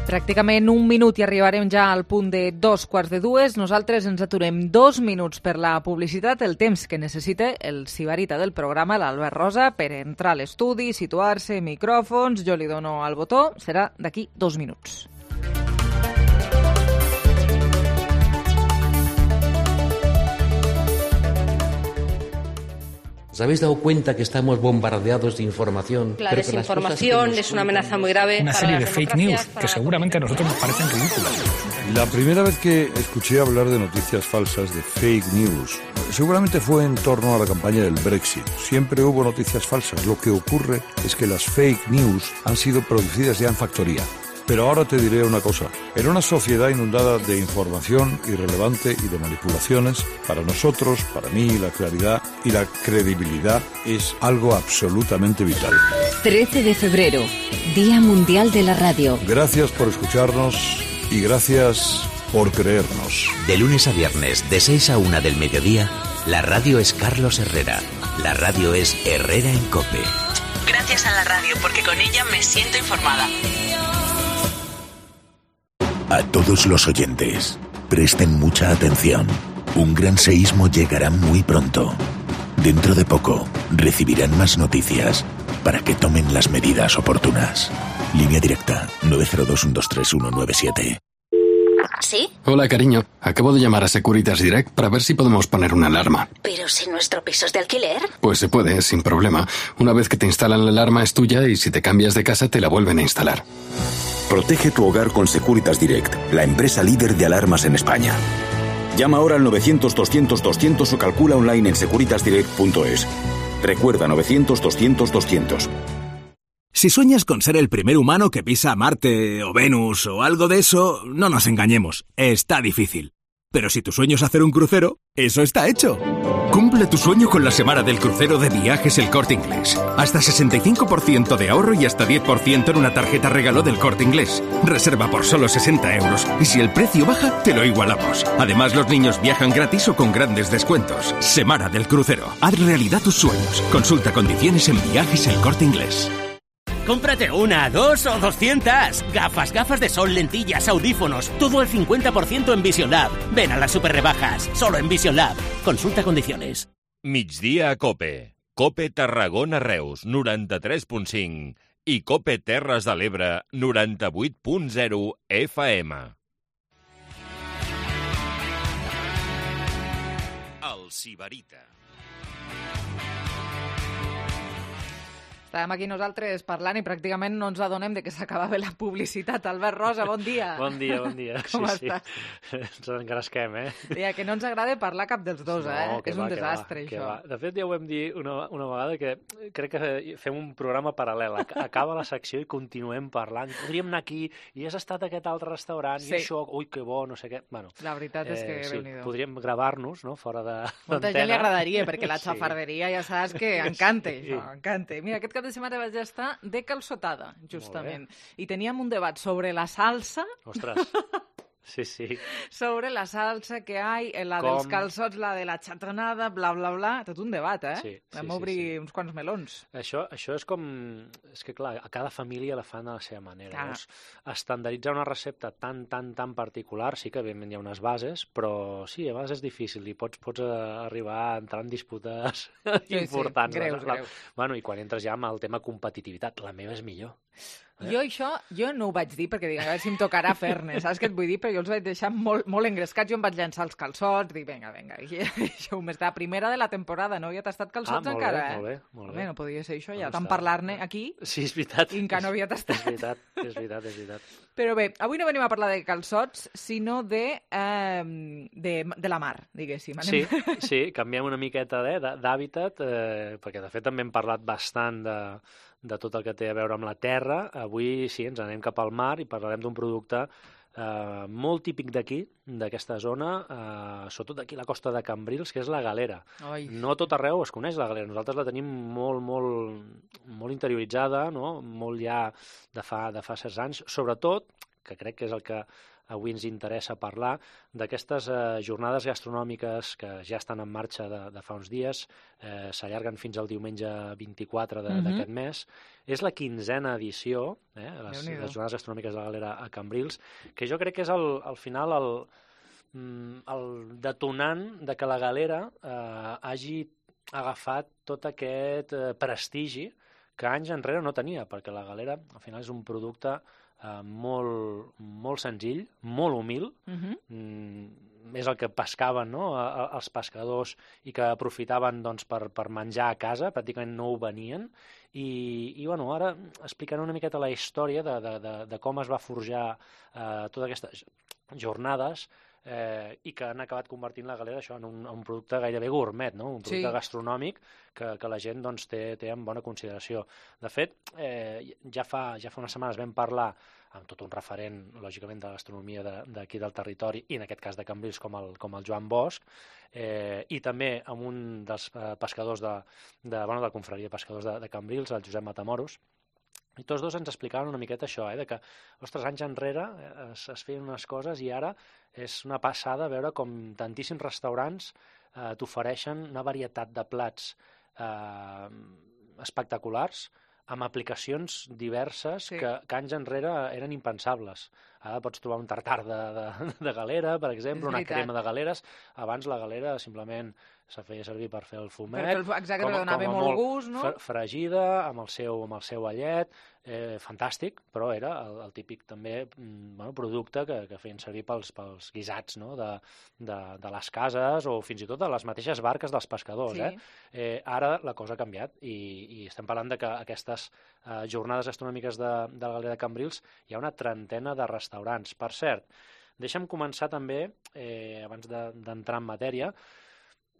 Pràcticament un minut i arribarem ja al punt de dos quarts de dues. Nosaltres ens aturem dos minuts per la publicitat, el temps que necessita el sibarita del programa, l'Albert Rosa, per entrar a l'estudi, situar-se, micròfons, jo li dono al botó, serà d'aquí dos minuts. ¿Os habéis dado cuenta que estamos bombardeados de información? La desinformación es una amenaza muy grave. Una serie de fake news que seguramente a nosotros nos parecen ridículas. La primera vez que escuché hablar de noticias falsas, de fake news, seguramente fue en torno a la campaña del Brexit. Siempre hubo noticias falsas. Lo que ocurre es que las fake news han sido producidas ya en factoría. Pero ahora te diré una cosa. En una sociedad inundada de información irrelevante y de manipulaciones, para nosotros, para mí, la claridad y la credibilidad es algo absolutamente vital. trece de febrero, Día Mundial de la Radio. Gracias por escucharnos y gracias por creernos. De lunes a viernes, de seis a una del mediodía, la radio es Carlos Herrera. La radio es Herrera en COPE. Gracias a la radio, porque con ella me siento informada. A todos los oyentes, presten mucha atención. Un gran seísmo llegará muy pronto. Dentro de poco, recibirán más noticias para que tomen las medidas oportunas. Línea directa nueve cero dos uno dos tres uno nueve siete. ¿Sí? Hola, cariño. Acabo de llamar a Securitas Direct para ver si podemos poner una alarma. ¿Pero si nuestro piso es de alquiler? Pues se puede, sin problema. Una vez que te instalan la alarma es tuya y si te cambias de casa te la vuelven a instalar. Protege tu hogar con Securitas Direct, la empresa líder de alarmas en España. Llama ahora al novecientos doscientos doscientos o calcula online en securitas direct punto es. Recuerda novecientos doscientos doscientos. Si sueñas con ser el primer humano que pisa Marte o Venus o algo de eso, no nos engañemos, está difícil. Pero si tu sueño es hacer un crucero, eso está hecho. Cumple tu sueño con la semana del crucero de Viajes El Corte Inglés. Hasta sesenta y cinco por ciento de ahorro y hasta diez por ciento en una tarjeta regalo del Corte Inglés. Reserva por solo sesenta euros y si el precio baja, te lo igualamos. Además, los niños viajan gratis o con grandes descuentos. Semana del crucero. Haz realidad tus sueños. Consulta condiciones en Viajes El Corte Inglés. Cómprate una, dos o doscientas. Gafas, gafas de sol, lentillas, audífonos. Todo al cincuenta por ciento en Vision Lab. Ven a las super rebajas. Solo en Vision Lab. Consulta condiciones. Migdia a COPE. COPE Tarragona Reus, noranta-tres punt cinc. I COPE Terres de l'Ebre, noranta-vuit punt zero F M. El Sibarita. Estàvem aquí nosaltres parlant i pràcticament no ens adonem de que s'acabava la publicitat. Albert Rosa, bon dia. Bon dia, bon dia. Com sí, estàs? Sí. Ens engresquem, eh? Ja, que no ens agrada parlar cap dels dos, no, eh? Que és va, un desastre, que això. Va. De fet, ja ho vam dir una, una vegada, que crec que fem un programa paral·lel. Acaba la secció i continuem parlant. Podríem anar aquí i has estat a aquest altre restaurant sí. i això, ui, que bo, no sé què. Bueno, la veritat és que, eh, sí, Déu-n'hi-do. Podríem gravar-nos, no?, fora de Molta gent li agradaria, perquè la xafarderia sí. ja saps que encanta, sí. això, encanta. Mira, aquest cap de setmana vaig estar de calçotada, justament. I teníem un debat sobre la salsa. Ostres, sí, sí. Sobre la salsa que hi, la Com? dels calçots, la de la xatonada, bla, bla, bla. Tot un debat, eh? Sí, sí, Vam sí, obrir sí. uns quants melons. Això, això és com... És que, clar, a cada família la fan de la seva manera. Llavors, estandarditzar una recepta tan, tan, tan particular, sí que evidentment hi ha unes bases, però sí, a vegades és difícil i pots, pots arribar a entrar en disputes sí, importants. Sí, greus, la, greus. Bueno, i quan entres ja amb el tema competitivitat, la meva és millor. Eh? Jo això, jo no ho vaig dir perquè dic, a veure si em tocarà fer-ne, saps què et vull dir? Però jo els vaig deixar molt, molt engrescats, jo em vaig llançar els calçots, dic, vinga, vinga, i això m'és la primera de la temporada, no havia tastat calçots ah, encara, bé, eh? Molt bé, molt bé. Home, no podia ser això, ja no tant parlar-ne aquí, sí, és veritat. i encara no havia tastat. És veritat, és veritat, és veritat. Però bé, avui no venim a parlar de calçots, sinó de, eh, de, de la mar, diguéssim. Anem... Sí, sí, canviem una miqueta d'hàbitat, eh, perquè de fet també hem parlat bastant de, de tot el que té a veure amb la terra. Avui sí, ens anem cap al mar i parlarem d'un producte eh, molt típic d'aquí, d'aquesta zona, eh, sobretot aquí a la costa de Cambrils, que és la galera. Oi. No a tot arreu es coneix la galera, nosaltres la tenim molt, molt, molt interioritzada, no? Molt ja de fa, de fa certs anys, sobretot que crec que és el que avui ens interessa parlar, d'aquestes eh, jornades gastronòmiques que ja estan en marxa de, de fa uns dies, eh, s'allarguen fins al diumenge vint-i-quatre d'aquest uh -huh. mes. És la quinzena edició, eh, les, les jornades gastronòmiques de la Galera a Cambrils, que jo crec que és el, al final el, el detonant de que la Galera eh, hagi agafat tot aquest eh, prestigi que anys enrere no tenia, perquè la Galera al final és un producte eh, molt, molt senzill, molt humil, uh -huh. mm, és el que pescaven, no?, a, a, els pescadors i que aprofitaven doncs, per, per menjar a casa, pràcticament no ho venien, i, i bueno, ara explicaré una miqueta la història de, de, de, de com es va forjar eh, totes aquestes jornades, eh, i que han acabat convertint la Galera això en un, un producte gairebé gourmet, no? Un producte sí. gastronòmic que, que la gent doncs, té, té en bona consideració. De fet, eh, ja, fa, ja fa unes setmanes vam parlar amb tot un referent, lògicament, de gastronomia d'aquí de, del territori, i en aquest cas de Cambrils, com el, com el Joan Bosch, eh, i també amb un dels eh, pescadors de, de, bueno, de la confraria de pescadors de, de Cambrils, el Josep Matamoros, i tots dos ens explicaven una miqueta això, eh, de que, ostres, anys enrere es, es feien unes coses i ara és una passada veure com tantíssims restaurants eh, t'ofereixen una varietat de plats eh, espectaculars, amb aplicacions diverses sí. que, que anys enrere eren impensables. Ara pots trobar un tartar de, de, de galera, per exemple, una crema de galeres. Abans la galera simplement se feia servir per fer el fumet. Per fer el, exacte, com, donava com molt gust, no? Fregida, amb el seu, amb el seu allet, eh, fantàstic, però era el, el típic també bueno, producte que, que feien servir pels, pels guisats, no? de, de, de les cases o fins i tot de les mateixes barques dels pescadors. Sí. Eh? Eh, ara la cosa ha canviat i, i estem parlant de que aquestes eh, jornades gastronòmiques de, de la Galera de Cambrils hi ha una trentena de restaurants. Per cert, deixa'm començar també, eh, abans d'entrar de, en matèria,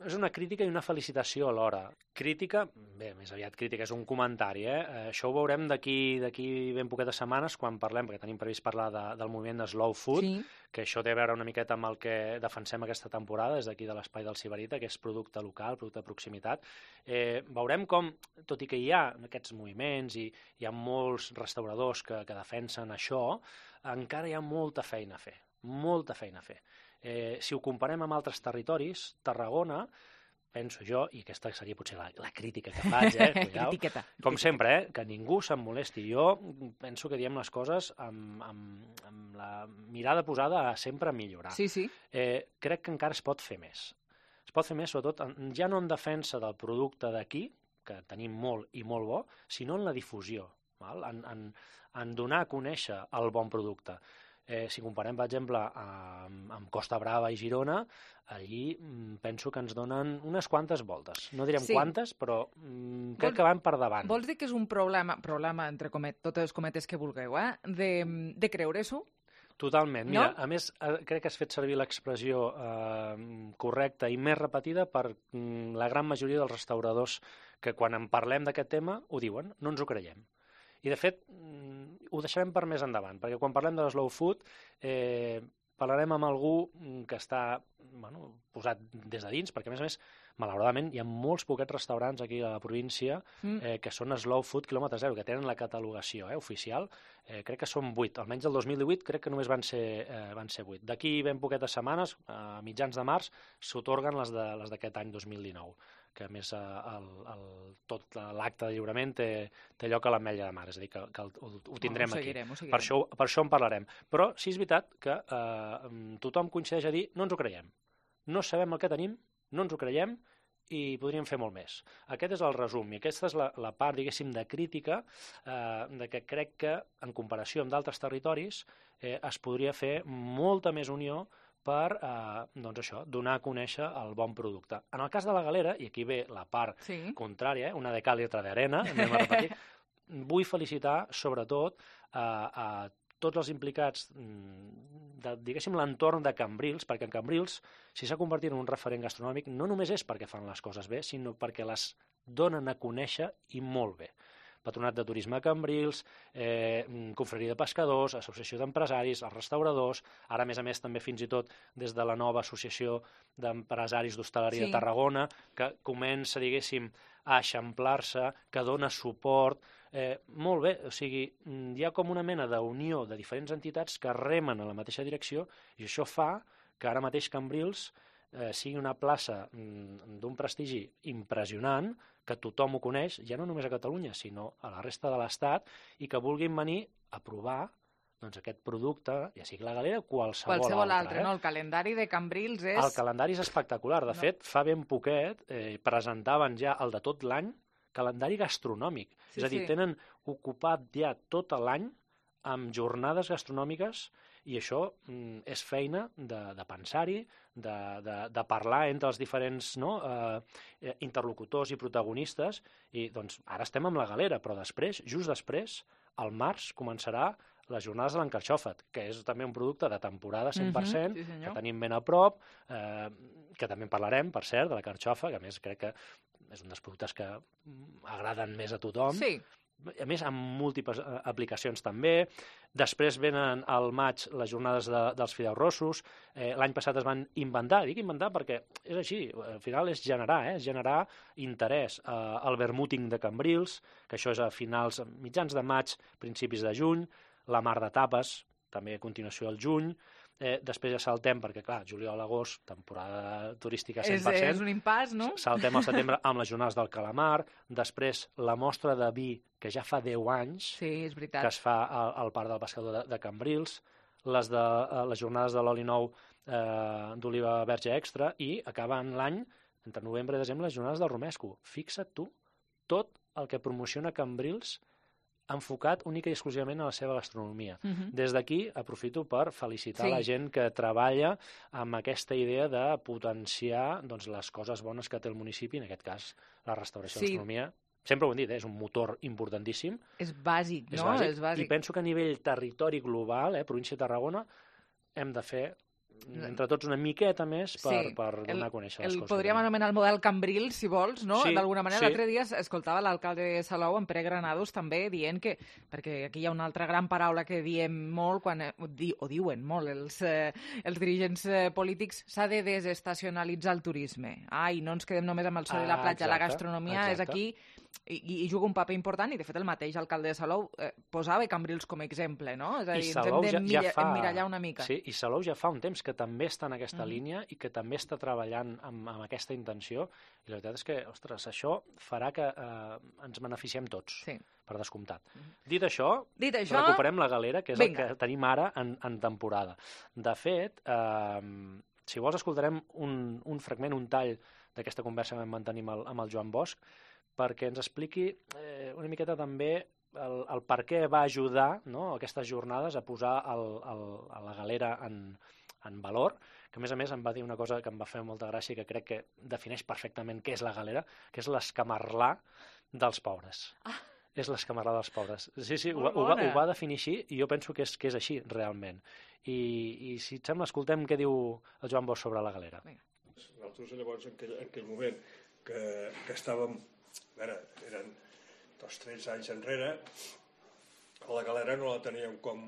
és una crítica i una felicitació alhora. Crítica, bé, més aviat crítica, és un comentari, eh? eh això ho veurem d'aquí d'aquí ben poquetes setmanes quan parlem, perquè tenim previst parlar de, del moviment de Slow Food, sí. que això té a veure una miqueta amb el que defensem aquesta temporada, des d'aquí de l'Espai del Sibarita, que és producte local, producte de proximitat. Eh, veurem com, tot i que hi ha aquests moviments i hi ha molts restauradors que, que defensen això, encara hi ha molta feina a fer, molta feina a fer. Eh, si ho comparem amb altres territoris, Tarragona, penso jo, i aquesta seria potser la, la crítica que faig, eh? Cuidao, com sempre, eh? que ningú se'n molesti. Jo penso que diem les coses amb, amb, amb la mirada posada a sempre millorar. Sí, sí. Eh, crec que encara es pot fer més. Es pot fer més, sobretot, ja no en defensa del producte d'aquí, que tenim molt i molt bo, sinó en la difusió, val? En, en, en donar a conèixer el bon producte. Eh, si comparem, per exemple, amb, amb Costa Brava i Girona, allí mm, penso que ens donen unes quantes voltes. No direm sí. quantes, però mm, crec vols, que van per davant. Vols dir que és un problema, problema entre comet, totes les cometes que vulgueu, eh? de, de creure-s'ho? Totalment. Mira, no? A més, crec que has fet servir l'expressió eh, correcta i més repetida per mm, la gran majoria dels restauradors que quan en parlem d'aquest tema ho diuen, no ens ho creiem. I, de fet, ho deixarem per més endavant, perquè quan parlem de slow food eh, parlarem amb algú que està bueno, posat des de dins, perquè, a més a més, malauradament, hi ha molts poquets restaurants aquí a la província mm. eh, que són slow food quilòmetre zero, que tenen la catalogació eh, oficial. Eh, crec que són vuit. Almenys el dos mil divuit crec que només van ser, eh, van ser vuit. D'aquí ben poquetes setmanes, a mitjans de març, s'atorguen les d'aquest de, any dos mil dinou, que a més el, el, tot l'acte de lliurament té, té lloc a l'Ametlla de Mar, és a dir, que, que el, ho, ho tindrem oh, ho seguirem, aquí. Ho per, això, per això en parlarem. Però sí és veritat que eh, tothom coincideix a dir no ens ho creiem. No sabem el que tenim, no ens ho creiem i podríem fer molt més. Aquest és el resum i aquesta és la, la part, diguéssim, de crítica eh, de que crec que, en comparació amb d'altres territoris, eh, es podria fer molta més unió per eh, doncs això, donar a conèixer el bon producte. En el cas de la Galera, i aquí ve la part sí. contrària, eh, una de cal i altra d'arena, vull felicitar sobretot eh, a tots els implicats de, diguéssim, l'entorn de Cambrils, perquè en Cambrils, si s'ha convertit en un referent gastronòmic, no només és perquè fan les coses bé, sinó perquè les donen a conèixer i molt bé. Patronat de Turisme a Cambrils, eh, Confraria de Pescadors, Associació d'Empresaris, els restauradors, ara a més a més també fins i tot des de la nova Associació d'Empresaris d'Hostaleria sí. de Tarragona, que comença, diguéssim, a eixamplar-se, que dona suport. Eh, molt bé, o sigui, hi ha com una mena d'unió de diferents entitats que remen a la mateixa direcció i això fa que ara mateix Cambrils eh, sigui una plaça mm, d'un prestigi impressionant, que tothom ho coneix, ja no només a Catalunya, sinó a la resta de l'Estat, i que vulguin venir a provar doncs, aquest producte, ja sigui la galera, qualsevol, qualsevol altre. altre eh? No? El calendari de Cambrils és... El calendari és espectacular. De no. fet, fa ben poquet eh, presentaven ja el de tot l'any calendari gastronòmic. Sí, és a dir, sí. tenen ocupat ja tot l'any amb jornades gastronòmiques i això mm, és feina de, de pensar-hi, de, de, de parlar entre els diferents no, eh, interlocutors i protagonistes i doncs ara estem amb la galera, però després, just després, al març començarà les jornades de l'encarxòfat, que és també un producte de temporada cent per cent, mm-hmm, sí, que tenim ben a prop, eh, que també en parlarem, per cert, de la carxofa, que a més crec que és un dels productes que agraden més a tothom. Sí. A més, amb múltiples aplicacions també. Després venen al maig les jornades de, dels fideus rossos. Eh, L'any passat es van inventar, dic inventar perquè és així, al final és generar, eh? és generar interès. Eh, el vermúting de Cambrils, que això és a finals, mitjans de maig, principis de juny. La mar de tapes, també a continuació al juny. Eh, després ja saltem, perquè clar, juliol-agost, temporada turística cent per cent. És, és un impàs, no? Saltem al setembre amb les jornades del calamar, després la mostra de vi, que ja fa deu anys, sí, és veritat. que es fa al, al Parc del Pescador de, de Cambrils, les, de, les jornades de l'oli nou eh, d'oliva verge extra, i acaben l'any, entre novembre i desembre, les jornades del romesco. Fixa't tu, tot el que promociona Cambrils enfocat única i exclusivament a la seva gastronomia. Uh-huh. Des d'aquí aprofito per felicitar sí. la gent que treballa amb aquesta idea de potenciar doncs, les coses bones que té el municipi, en aquest cas la restauració sí. i gastronomia. Sempre ho hem dit, eh? És un motor importantíssim. És bàsic, és no? Bàsic. És bàsic. I penso que a nivell territori global, eh, província de Tarragona, hem de fer entre tots una miqueta més per, sí. per donar el, a conèixer les el coses. Podríem anomenar el model Cambrils, si vols, no? Sí, D'alguna manera, sí. l'altre dia escoltava l'alcalde de Salou, en Pere Granados, també dient que, perquè aquí hi ha una altra gran paraula que diem molt, quan, o diuen molt els, eh, els dirigents eh, polítics, s'ha de desestacionalitzar el turisme. Ai, no ens quedem només amb el sol ah, i la platja, exacte, la gastronomia exacte. és aquí i, i juga un paper important, i de fet el mateix alcalde de Salou eh, posava Cambrils com a exemple, no? És a dir, ens hem de ja, ja fa... emmirallar una mica. Sí, i Salou ja fa un temps que també està en aquesta mm. línia i que també està treballant amb, amb aquesta intenció, i la veritat és que, ostres, això farà que eh, ens beneficiem tots, sí. per descomptat. Mm. Dit això, Dit això, recuperem la galera, que és vinga. el que tenim ara en, en temporada. De fet, eh, si vols escoltarem un, un fragment, un tall d'aquesta conversa que vam mantenir amb el, amb el Joan Bosch, perquè ens expliqui eh, una miqueta també el, el per què va ajudar, no, aquestes jornades a posar el, el, a la galera en, en valor, que a més a més em va dir una cosa que em va fer molta gràcia i que crec que defineix perfectament què és la galera, que és l'escamarlar dels pobres. Ah. És l'escamarlar dels pobres. Sí, sí, ho, ho, va, ho va definir així i jo penso que és, que és així, realment. I, i si et sembla, escoltem què diu el Joan Bosch sobre la galera. Nosaltres llavors, en aquell, en aquell moment que, que estàvem, a veure, eren dos tretze anys enrere, la galera no la teníem com,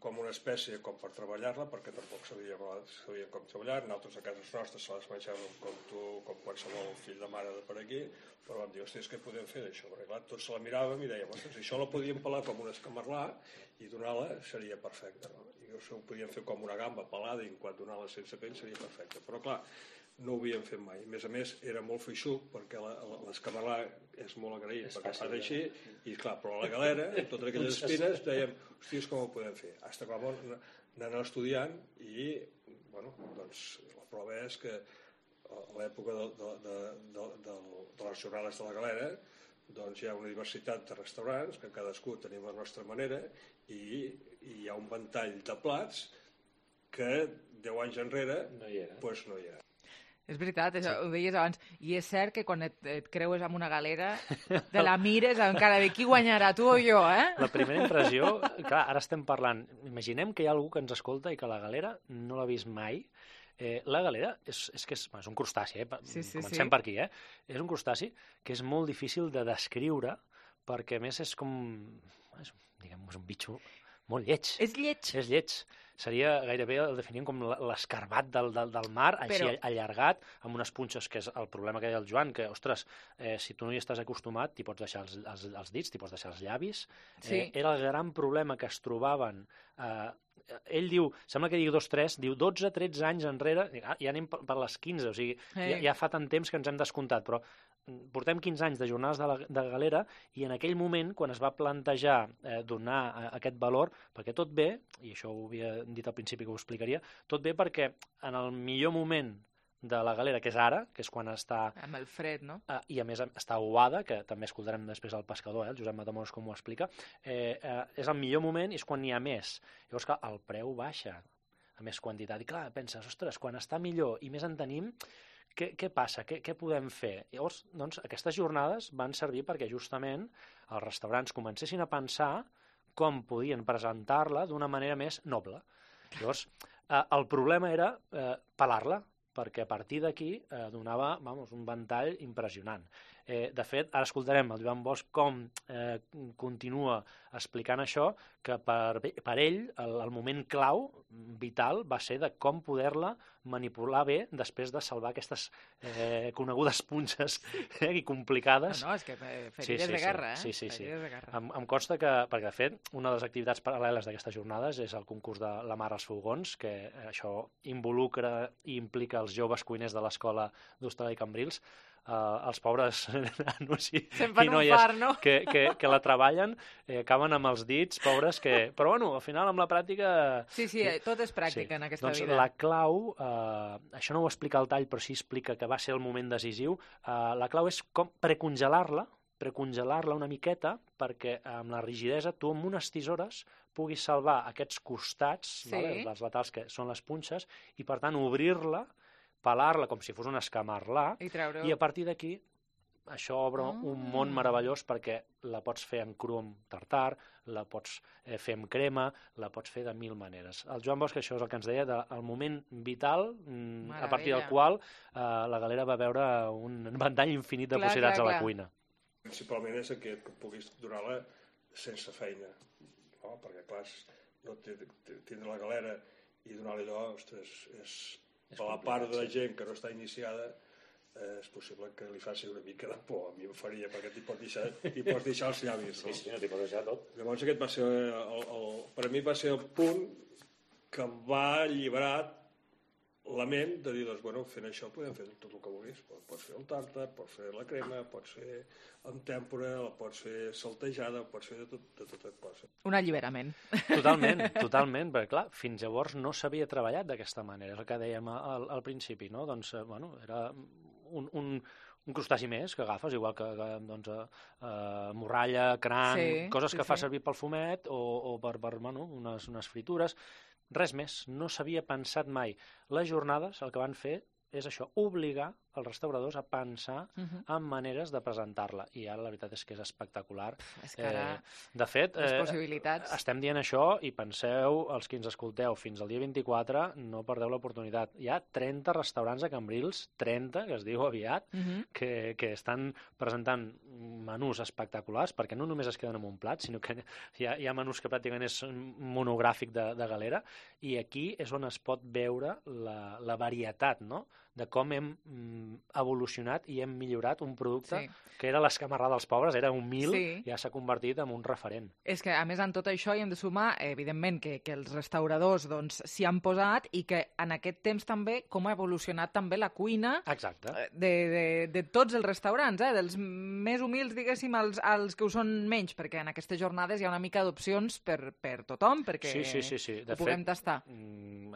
com una espècie com per treballar-la, perquè tampoc sabíem, sabíem com treballar. Nosaltres a cases nostres se les menjàvem com tu, com qualsevol fill de mare de per aquí, però vam dir, hòstia, què podem fer d'això? Perquè clar, tots se la miràvem i dèiem, ostres, si això la podíem pelar com un escamarlar i donar-la seria perfecte, no? I això ho podíem fer com una gamba pelada i en quant donar-la sense pell seria perfecte. Però clar, no ho havíem fet mai. A més a més, era molt feixuc, perquè l'escamarlar és molt agraït, és perquè fa d'així, i clar, però la galera, amb totes aquelles espines, dèiem, hòsties, com ho podem fer? Hasta que vam anar estudiant i, bueno, doncs, la prova és que a l'època de, de, de, de, de, de les jornades de la galera, doncs hi ha una diversitat de restaurants, que cadascú tenim la nostra manera, i, i hi ha un ventall de plats que deu anys enrere no hi era. Pues no hi era. És veritat, això, sí. Ho deies abans. I és cert que quan et, et creues amb una galera, te la mires amb cara de qui guanyarà, tu o jo, eh? La primera impressió, clar, ara estem parlant, imaginem que hi ha algú que ens escolta i que la galera no l'ha vist mai. Eh, la galera és, és que és, és un crustaci, eh? Sí, sí, Comencem sí. per aquí, eh? És un crustaci que és molt difícil de descriure perquè a més és com, és, diguem, és un bitxo molt lleig. És lleig. És lleig. Seria gairebé, el definim com l'escarbat del, del, del mar, Però... així allargat, amb unes punxes, que és el problema que deia el Joan, que, ostres, eh, si tu no hi estàs acostumat, t'hi pots deixar els, els, els dits, t'hi pots deixar els llavis. Sí. Eh, era el gran problema que es trobaven... Eh, ell diu, sembla que digui dos tres, diu dotze tretze anys enrere, ja anem per les quinze, o sigui, hey. ja, ja fa tant temps que ens hem descomptat, però portem quinze anys de jornades de, la, de galera i en aquell moment, quan es va plantejar eh, donar eh, aquest valor, perquè tot bé, i això ho havia dit al principi que ho explicaria, tot bé perquè en el millor moment de la galera, que és ara, que és quan està... Amb el fred, no? Eh, I a més està aguada, que també escoltarem després el pescador, eh, el Josep Matamoros com ho explica, eh, eh, és el millor moment i és quan n'hi ha més. Llavors, clar, el preu baixa a més quantitat. I clar, penses, ostres, quan està millor i més en tenim, què, què passa? Què, què podem fer? Llavors, doncs, aquestes jornades van servir perquè justament els restaurants comencessin a pensar com podien presentar-la d'una manera més noble. Llavors, eh, el problema era eh, pelar-la, perquè a partir d'aquí eh, donava vamos, un ventall impressionant. Eh, de fet, ara escoltarem el Joan Bosch com eh, continua explicant això, que per, per ell el, el moment clau, vital, va ser de com poder-la manipular bé després de salvar aquestes eh, conegudes punxes eh, i complicades. No, no, és que ferides sí, sí, de guerra, sí, eh? Sí, sí, sí. De guerra. Em, em consta que, perquè de fet, una de les activitats paral·leles d'aquestes jornades és el concurs de la mar als fogons, que eh, això involucra i implica els joves cuiners de l'escola d'Hostalà i Cambrils, Uh, els pobres nanos i, i noies far, no? que, que, que la treballen eh, acaben amb els dits, pobres, que... però bueno, al final amb la pràctica... Sí, sí, tot és pràctica sí. en aquesta doncs vida. La clau, eh, això no ho explica el tall, però sí explica que va ser el moment decisiu, eh, la clau és com precongelar-la, precongelar-la una miqueta perquè amb la rigidesa tu amb unes tisores puguis salvar aquests costats, sí. vale, les laterals que són les punxes, i per tant obrir-la, pelar-la com si fos un escamarlà, i, treure... i a partir d'aquí això obre oh. un món meravellós perquè la pots fer en cru amb tartar, la pots eh, fer amb crema, la pots fer de mil maneres. El Joan Bosch, això és el que ens deia, del moment vital, Meravella. A partir del qual eh, la galera va veure un ventall infinit de clar, possibilitats clar, clar. a la cuina. Principalment és aquest, que puguis donar-la sense feina, no? Perquè clar, no tindre la galera i donar-li allò, ostres, és... Per la part de la gent que no està iniciada, eh, és possible que li faci una mica de por. A mi em faria, perquè t'hi pots deixar, t'hi pots deixar els llavis. No? Sí, sí, no t'hi pots deixar tot. Llavors aquest va ser, el, el, per a mi va ser el punt que em va alliberar la ment de dir, doncs, bueno, fent això podem fer tot el que vulguis. Pots fer el tàrtar, pots fer la crema, pots fer en tèmpora, la pots fer saltejada, pots fer de tot, de tot et pots. Un alliberament. Totalment, totalment, perquè clar, fins llavors no s'havia treballat d'aquesta manera, és el que dèiem al, al principi, no? Doncs, bueno, era un, un, un crustaci més que agafes, igual que, que doncs, uh, morralla, cranc, sí, coses que sí, fa sí. servir pel fumet o, o per, per bueno, unes, unes fritures. Res més, no s'havia pensat mai. Les jornades el que van fer és això, obligar els restauradors a pensar uh-huh. en maneres de presentar-la. I ara la veritat és que és espectacular. És que ara... Eh, de fet, les possibilitats... eh, estem dient això i penseu, els que ens escolteu, fins al dia vint-i-quatre, no perdeu l'oportunitat. Hi ha trenta restaurants a Cambrils, trenta, que es diu aviat, uh-huh. que, que estan presentant menús espectaculars, perquè no només es queden amb un plat, sinó que hi ha, hi ha menús que pràcticament és monogràfic de, de galera, i aquí és on es pot veure la, la varietat, no?, de com hem mm, evolucionat i hem millorat un producte sí. que era l'escamarrà dels pobres, era humil, sí. ja s'ha convertit en un referent. És que, a més, en tot això hi hem de sumar, evidentment, que, que els restauradors doncs, s'hi han posat i que en aquest temps també com ha evolucionat també la cuina Exacte. De, de, de tots els restaurants, eh? Dels més humils, diguéssim, als, als que ho són menys, perquè en aquestes jornades hi ha una mica d'opcions per, per tothom, perquè sí, sí, sí, sí. De ho puguem fet, tastar.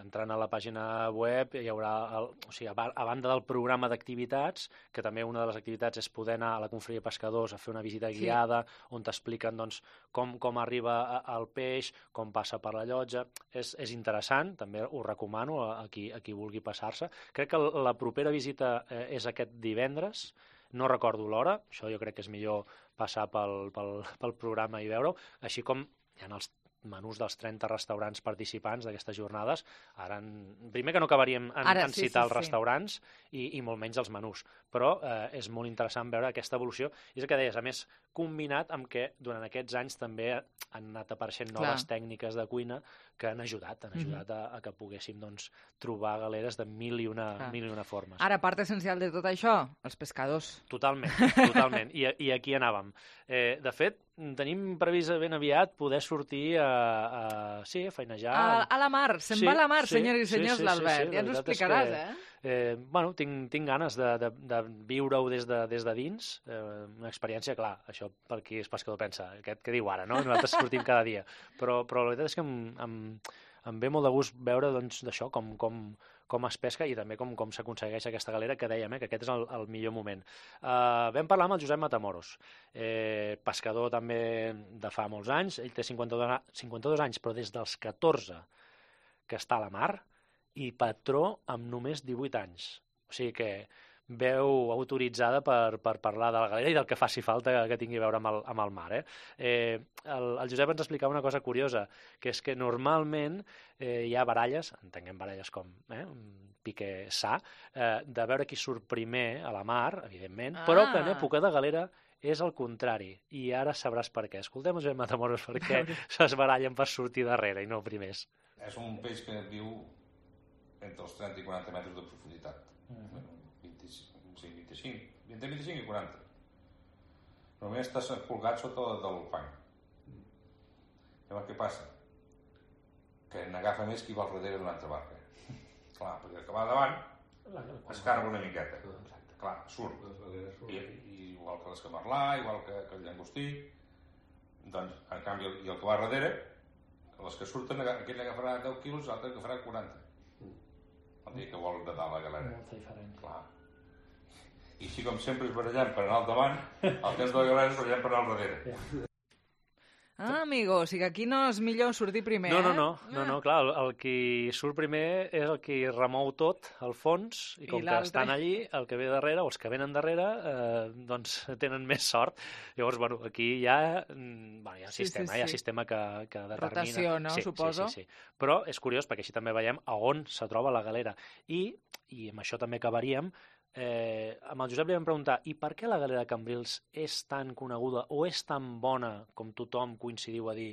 Entrant a la pàgina web hi haurà, el, o sigui, a banda del programa d'activitats, que també una de les activitats és poder anar a la Confraria de Pescadors a fer una visita guiada, sí. on t'expliquen doncs, com, com arriba el peix, com passa per la llotja. És, és interessant, també ho recomano a, a, qui, a qui vulgui passar-se. Crec que la propera visita eh, és aquest divendres, no recordo l'hora, això jo crec que és millor passar pel, pel, pel programa i veure-ho, així com hi ha els menús dels trenta restaurants participants d'aquestes jornades. Ara, en... primer que no acabaríem en, Ara, en sí, citar sí, els sí. restaurants i, i molt menys els menús, però eh, és molt interessant veure aquesta evolució. I és el que deies, a més, combinat amb que durant aquests anys també han anat apareixent noves Clar. tècniques de cuina que han ajudat, han ajudat a, a que poguéssim doncs, trobar galeres de mil i una, Clar. mil i una formes. Ara, part essencial de tot això, els pescadors. Totalment, totalment. I, i aquí anàvem. Eh, de fet, tenim previst ben aviat poder sortir a, a, sí, a feinejar. A, a la mar, se'n Sí, va a la mar, sí, senyors i sí, senyors, sí, sí, l'Albert. sí, Ja la ens ho veritat és explicaràs, que, eh? Eh, bueno, tinc, tinc ganes de, de, de viure-ho des, de, des de dins, eh, una experiència, clar, això per qui és pescador pensa, aquest que diu ara, no? Nosaltres sortim cada dia, però, però la veritat és que em, em, em ve molt de gust veure doncs, d'això, com, com, com es pesca i també com, com s'aconsegueix aquesta galera, que dèiem, eh, que aquest és el, el millor moment. Uh, vam parlar amb el Josep Matamoros, eh, pescador també de fa molts anys, ell té cinquanta-dos, cinquanta-dos anys, però des dels catorze que està a la mar, i patró amb només divuit anys. O sigui que veu autoritzada per, per parlar de la galera i del que faci falta que tingui a veure amb el, amb el mar. Eh? Eh, el, el Josep ens explicava una cosa curiosa, que és que normalment eh, hi ha baralles, entenguem baralles com eh, un pique sa, eh, de veure qui surt primer a la mar, evidentment, ah. però que en època de galera és el contrari, i ara sabràs per què. Escoltem el Josep Matamoros per què es barallen per sortir darrere i no primers. És un peix que viu entre els trenta i quaranta metres de profunditat. Uh-huh. vint-i-cinc, vint-i-cinc, entre vint-i-cinc i quaranta. Només està colgat sota del fang. Llavors què passa? Que n'agafa més qui va al darrere d'una altra barca. Clar, perquè el que va davant es carga una miqueta. Clar, surt. I, i igual que l'escamarlà, igual que, que el llangostí. Doncs, en canvi, i el que va darrere, les que surten, aquell agafarà deu quilos, l'altre agafarà quaranta. El dia que vol nedar la galera. Molta diferent. Clar. I així com sempre es barallant per anar al davant, el temps de la galera es barallant per anar al darrere. Ah, amigo, o sigui que aquí no és millor sortir primer, no, no, eh? no, no, no, clar, el, el qui surt primer és el qui remou tot al fons, i com I que estan allí, el que ve darrere, o els que venen darrere, eh, doncs tenen més sort. Llavors, bueno, aquí hi ha, bueno, hi ha sí, sistema, sí, sí. hi ha sistema que, que determina... Rotació, no, sí, suposo? Sí, sí, sí. Però és curiós, perquè així també veiem a on se troba la galera. I, i amb això també acabaríem, Eh, amb el Josep li vam preguntar i per què la galera de Cambrils és tan coneguda o és tan bona com tothom coincidiu a dir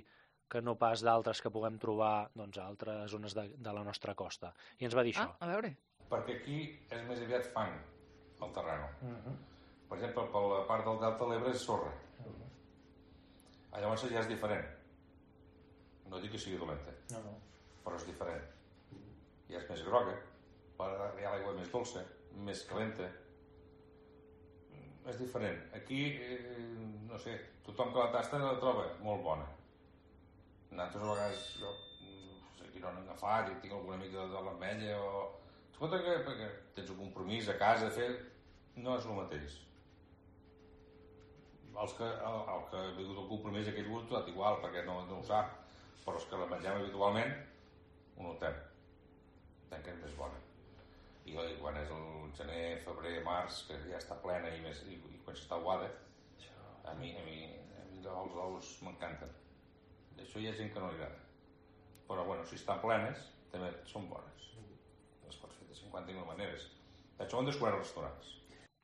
que no pas d'altres que puguem trobar doncs, a altres zones de, de la nostra costa. I ens va dir ah, això. A veure. Perquè aquí és més aviat fang, el terreno. Uh-huh. Per exemple, per la part del delta de l'Ebre és sorra. Uh-huh. Llavors ja és diferent. No dic que sigui dolenta, no, no. però és diferent. Ja és més groga, hi ha l'aigua més dolça, més calenta. És diferent. Aquí, eh, no sé, tothom que la tasta la troba molt bona. Nosaltres a vegades, jo, no sé, aquí no han agafat i tinc alguna mica de l'ametlla o... Escolta, que perquè tens un compromís a casa, fer... No és el mateix. Els que, el, el que ha vingut el compromís aquell gust, tot igual, perquè no, no ho sap. Però els que la mengem habitualment, ho notem. Entenc que és més bona. I quan és el gener, febrer, març, que ja està plena i, més, i, i quan està aguada, a mi, a mi, a mi els ous m'encanten. D'això hi ha gent que no li agrada. Però bueno, si estan plenes, també són bones. Les pots fer de cinquanta mil maneres. D'això ho han descobert els restaurants.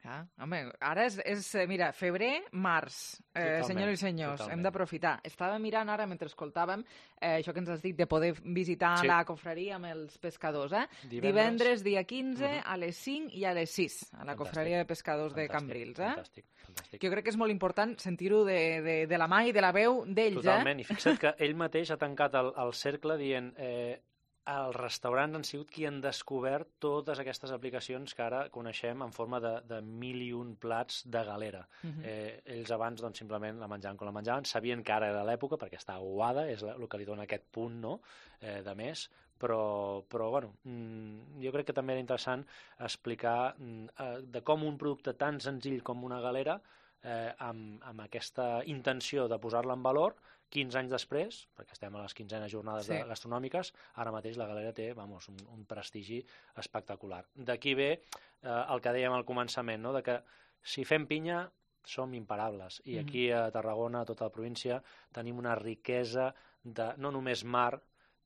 Ah, home, ara és, és mira, febrer, març, eh, senyors i senyors, totalment. Hem d'aprofitar. Estava mirant ara, mentre escoltàvem, eh, això que ens has dit de poder visitar sí. la confraria amb els pescadors, eh? Divendres, Divendres dia quinze, uh-huh. a les cinc i a les sis, a la Fantàstic. Confraria de pescadors Fantàstic. De Cambrils, eh? Fantàstic. Fantàstic. Jo crec que és molt important sentir-ho de, de, de la mà i de la veu d'ells, eh? Totalment, i fixa't que ell mateix ha tancat el, el cercle dient... Eh, els restaurants han sigut qui han descobert totes aquestes aplicacions que ara coneixem en forma de, de mil i un plats de galera. Uh-huh. eh, ells abans doncs, simplement la menjaven com la menjaven, sabien que ara era l'època perquè està aguada, és el que li dona aquest punt no? eh, de més, però, però bueno, mmm, jo crec que també era interessant explicar mm, de com un producte tan senzill com una galera eh, amb, amb aquesta intenció de posar-la en valor quinze anys després, perquè estem a les quinzenes jornades sí. gastronòmiques, ara mateix la galera té vamos, un, un prestigi espectacular. D'aquí ve eh, el que dèiem al començament, no? De que si fem pinya som imparables. I aquí a Tarragona, a tota la província, tenim una riquesa de no només mar,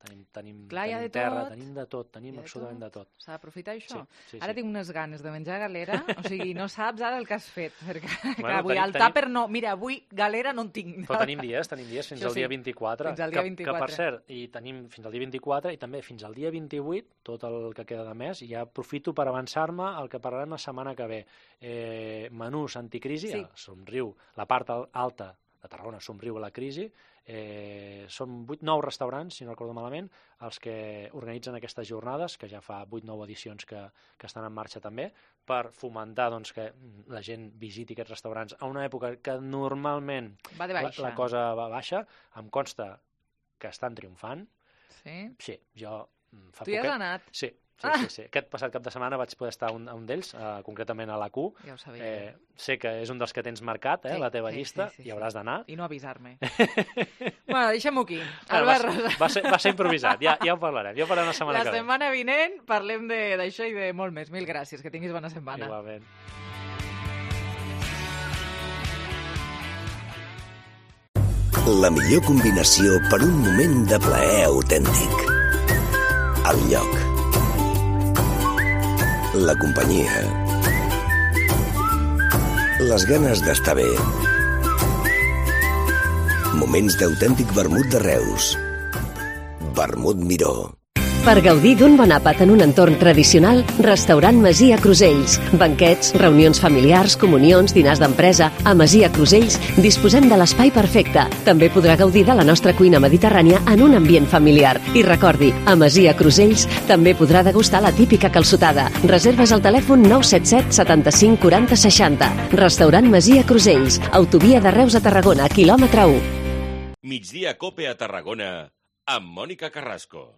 tenim, tenim, Clar, tenim de terra, tot. tenim de tot, tenim absolutament de tot. S'ha d'aprofitar això. Sí, sí, ara sí. tinc unes ganes de menjar galera, o sigui, no saps ara el que has fet, perquè Bueno, clar, avui tenim- al tàper no, mira, avui galera no en tinc. Però tenim dies, tenim dies fins Això al dia sí, vint-i-quatre. fins al dia que, vint-i-quatre. Que, per cert, i tenim fins al dia vint-i-quatre i també fins al dia vint-i-vuit, tot el que queda de mes, i ja aprofito per avançar-me al que parlarem la setmana que ve. Eh, menús anticrisi, Sí. a Somriu, la part al- alta de Tarragona, Somriu a la crisi, eh, són vuit nou restaurants, si no recordo malament, els que organitzen aquestes jornades, que ja fa vuit nou edicions que, que estan en marxa també, per fomentar doncs, que la gent visiti aquests restaurants a una època que normalment Va de la, baixa. la cosa va baixa. Em consta que estan triomfant. Sí? Sí, jo mm, fa Tu hi has poquet- anat? Sí, sí, Ah! sí, sí. Aquest passat cap de setmana vaig poder estar a un, a un d'ells, eh, concretament a l'A Q. Ja ho sabia. Eh, sé que és un dels que tens marcat, eh, Sí, la teva sí, llista, sí, sí, i hauràs d'anar. I no avisar-me. Bueno, deixem-ho aquí. Bueno, Albert va, Rosa. va, ser, va ser improvisat, ja, ja ho parlarem, ja ho parlarem la setmana La que ve. setmana vinent parlem de- d'això i de molt més. Mil gràcies, que tinguis bona setmana. Igualment. La millor combinació per un moment de plaer autèntic. El lloc. La companyia. Les ganes d'estar bé. Moments d'autèntic vermut de Reus. Vermut Miró. Per gaudir d'un bon àpat en un entorn tradicional, Restaurant Masia Crusells. Banquets, reunions familiars, comunions, dinars d'empresa. A Masia Crusells disposem de l'espai perfecte. També podrà gaudir de la nostra cuina mediterrània en un ambient familiar. I recordi, a Masia Crusells també podrà degustar la típica calçotada. Reserves al telèfon nou set set setanta-cinc quaranta seixanta. Restaurant Masia Crusells. Autovia de Reus a Tarragona, quilòmetre u. Migdia Cope a Tarragona amb Mònica Carrasco.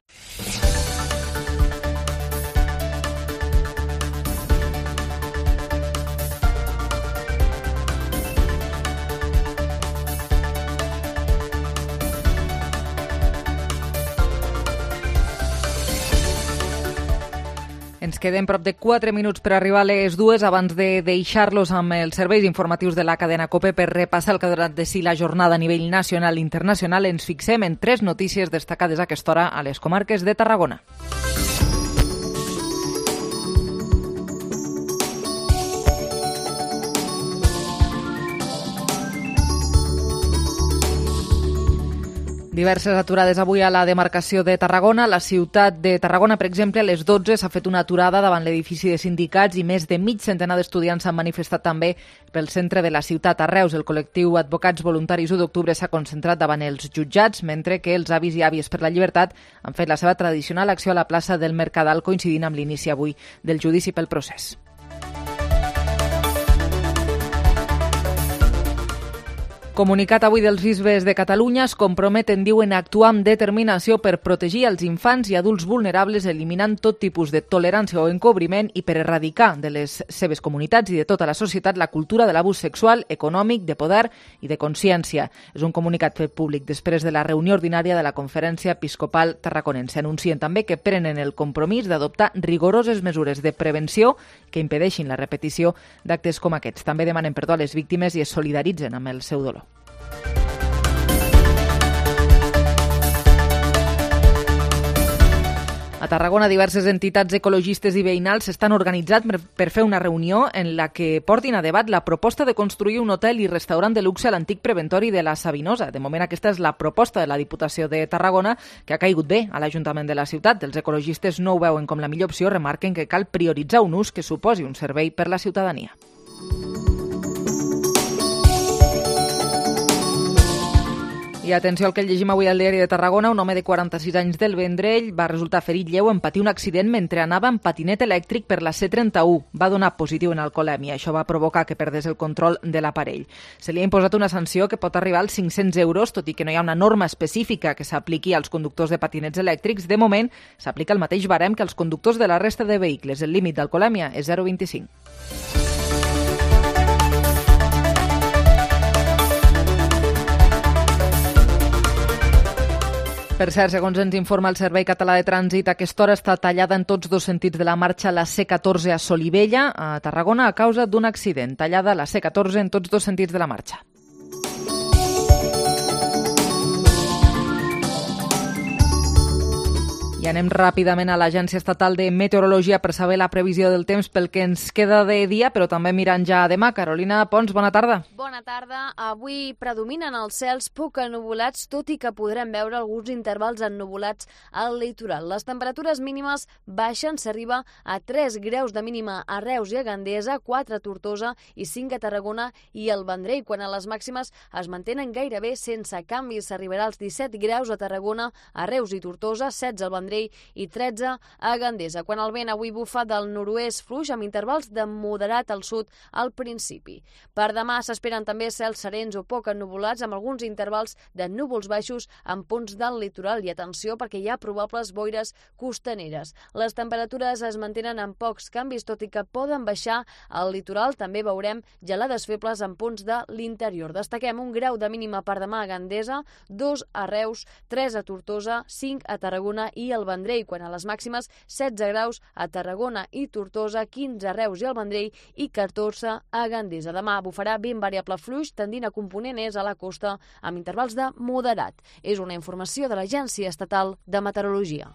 Ens queden prop de quatre minuts per arribar a les dues abans de deixar-los amb els serveis informatius de la cadena COPE per repassar el que ha donat de si la jornada a nivell nacional i internacional. Ens fixem en tres notícies destacades a aquesta hora a les comarques de Tarragona. Diverses aturades avui a la demarcació de Tarragona. La ciutat de Tarragona, per exemple, a les dotze s'ha fet una aturada davant l'edifici de sindicats i més de mig centenar d'estudiants s'han manifestat també pel centre de la ciutat. A Reus, el col·lectiu Advocats Voluntaris u d'octubre s'ha concentrat davant els jutjats, mentre que els avis i àvies per la llibertat han fet la seva tradicional acció a la plaça del Mercadal, coincidint amb l'inici avui del judici pel procés. Comunicat avui dels bisbes de Catalunya, es comprometen, diuen, a actuar amb determinació per protegir els infants i adults vulnerables, eliminant tot tipus de tolerància o encobriment i per erradicar de les seves comunitats i de tota la societat la cultura de l'abús sexual, econòmic, de poder i de consciència. És un comunicat fet públic després de la reunió ordinària de la Conferència Episcopal Tarraconense. Anuncien també que prenen el compromís d'adoptar rigoroses mesures de prevenció que impedeixin la repetició d'actes com aquests. També demanen perdó a les víctimes i es solidaritzen amb el seu dolor. A Tarragona, diverses entitats ecologistes i veïnals s'estan organitzant per fer una reunió en la que portin a debat la proposta de construir un hotel i restaurant de luxe a l'antic preventori de la Sabinosa. De moment, aquesta és la proposta de la Diputació de Tarragona, que ha caigut bé a l'Ajuntament de la ciutat. Els ecologistes no ho veuen com la millor opció, remarquen que cal prioritzar un ús que suposi un servei per la ciutadania. I atenció al que llegim avui al diari de Tarragona. Un home de quaranta-sis anys del Vendrell va resultar ferit lleu en patir un accident mentre anava en patinet elèctric per la C trenta-u. Va donar positiu en alcoholèmia. Això va provocar que perdés el control de l'aparell. Se li ha imposat una sanció que pot arribar als cinc-cents euros, tot i que no hi ha una norma específica que s'apliqui als conductors de patinets elèctrics. De moment, s'aplica el mateix barem que als conductors de la resta de vehicles. El límit d'alcoholèmia és zero coma vint-i-cinc. Per cert, segons ens informa el Servei Català de Trànsit, a aquesta hora està tallada en tots dos sentits de la marxa la C catorze a Solivella, a Tarragona, a causa d'un accident. Tallada la C catorze en tots dos sentits de la marxa. I anem ràpidament a l'Agència Estatal de Meteorologia per saber la previsió del temps pel que ens queda de dia, però també mirant ja a demà. Carolina Pons, bona tarda. Bona tarda. Avui predominen els cels poc ennuvolats, tot i que podrem veure alguns intervals ennuvolats al litoral. Les temperatures mínimes baixen, s'arriba a tres graus de mínima a Reus i a Gandesa, quatre a Tortosa i cinc a Tarragona i al Vendrell, quan a les màximes es mantenen gairebé sense canvis. S'arribarà als disset graus a Tarragona, a Reus i Tortosa, setze al Vendrell i tretze a Gandesa. Quan el vent avui bufa del nord-oest fluix amb intervals de moderat al sud al principi. Per demà s'esperen també cels serens o poc ennuvolats amb alguns intervals de núvols baixos en punts del litoral i atenció perquè hi ha probables boires costaneres. Les temperatures es mantenen amb pocs canvis, tot i que poden baixar al litoral. També veurem gelades febles en punts de l'interior. Destaquem un grau de mínima per demà a Gandesa, dos a Reus, tres a Tortosa, cinc a Tarragona i al Vendrell, quan a les màximes setze graus a Tarragona i Tortosa, quinze a Reus i al Vendrell i catorze a Gandesa. Demà bufarà vent variable fluix, tendint a component est a la costa amb intervals de moderat. És una informació de l'Agència Estatal de Meteorologia.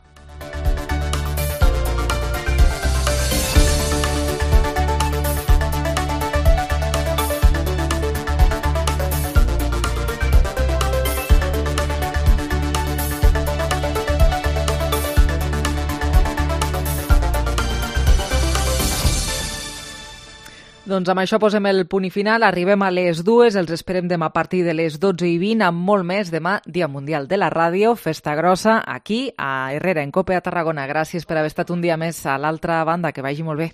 Doncs amb això posem el punt i final, arribem a les dues, els esperem demà a partir de les dotze i vint amb molt més. Demà, Dia Mundial de la Ràdio, festa grossa aquí a Herrera, en Cope a Tarragona. Gràcies per haver estat un dia més a l'altra banda, que vagi molt bé.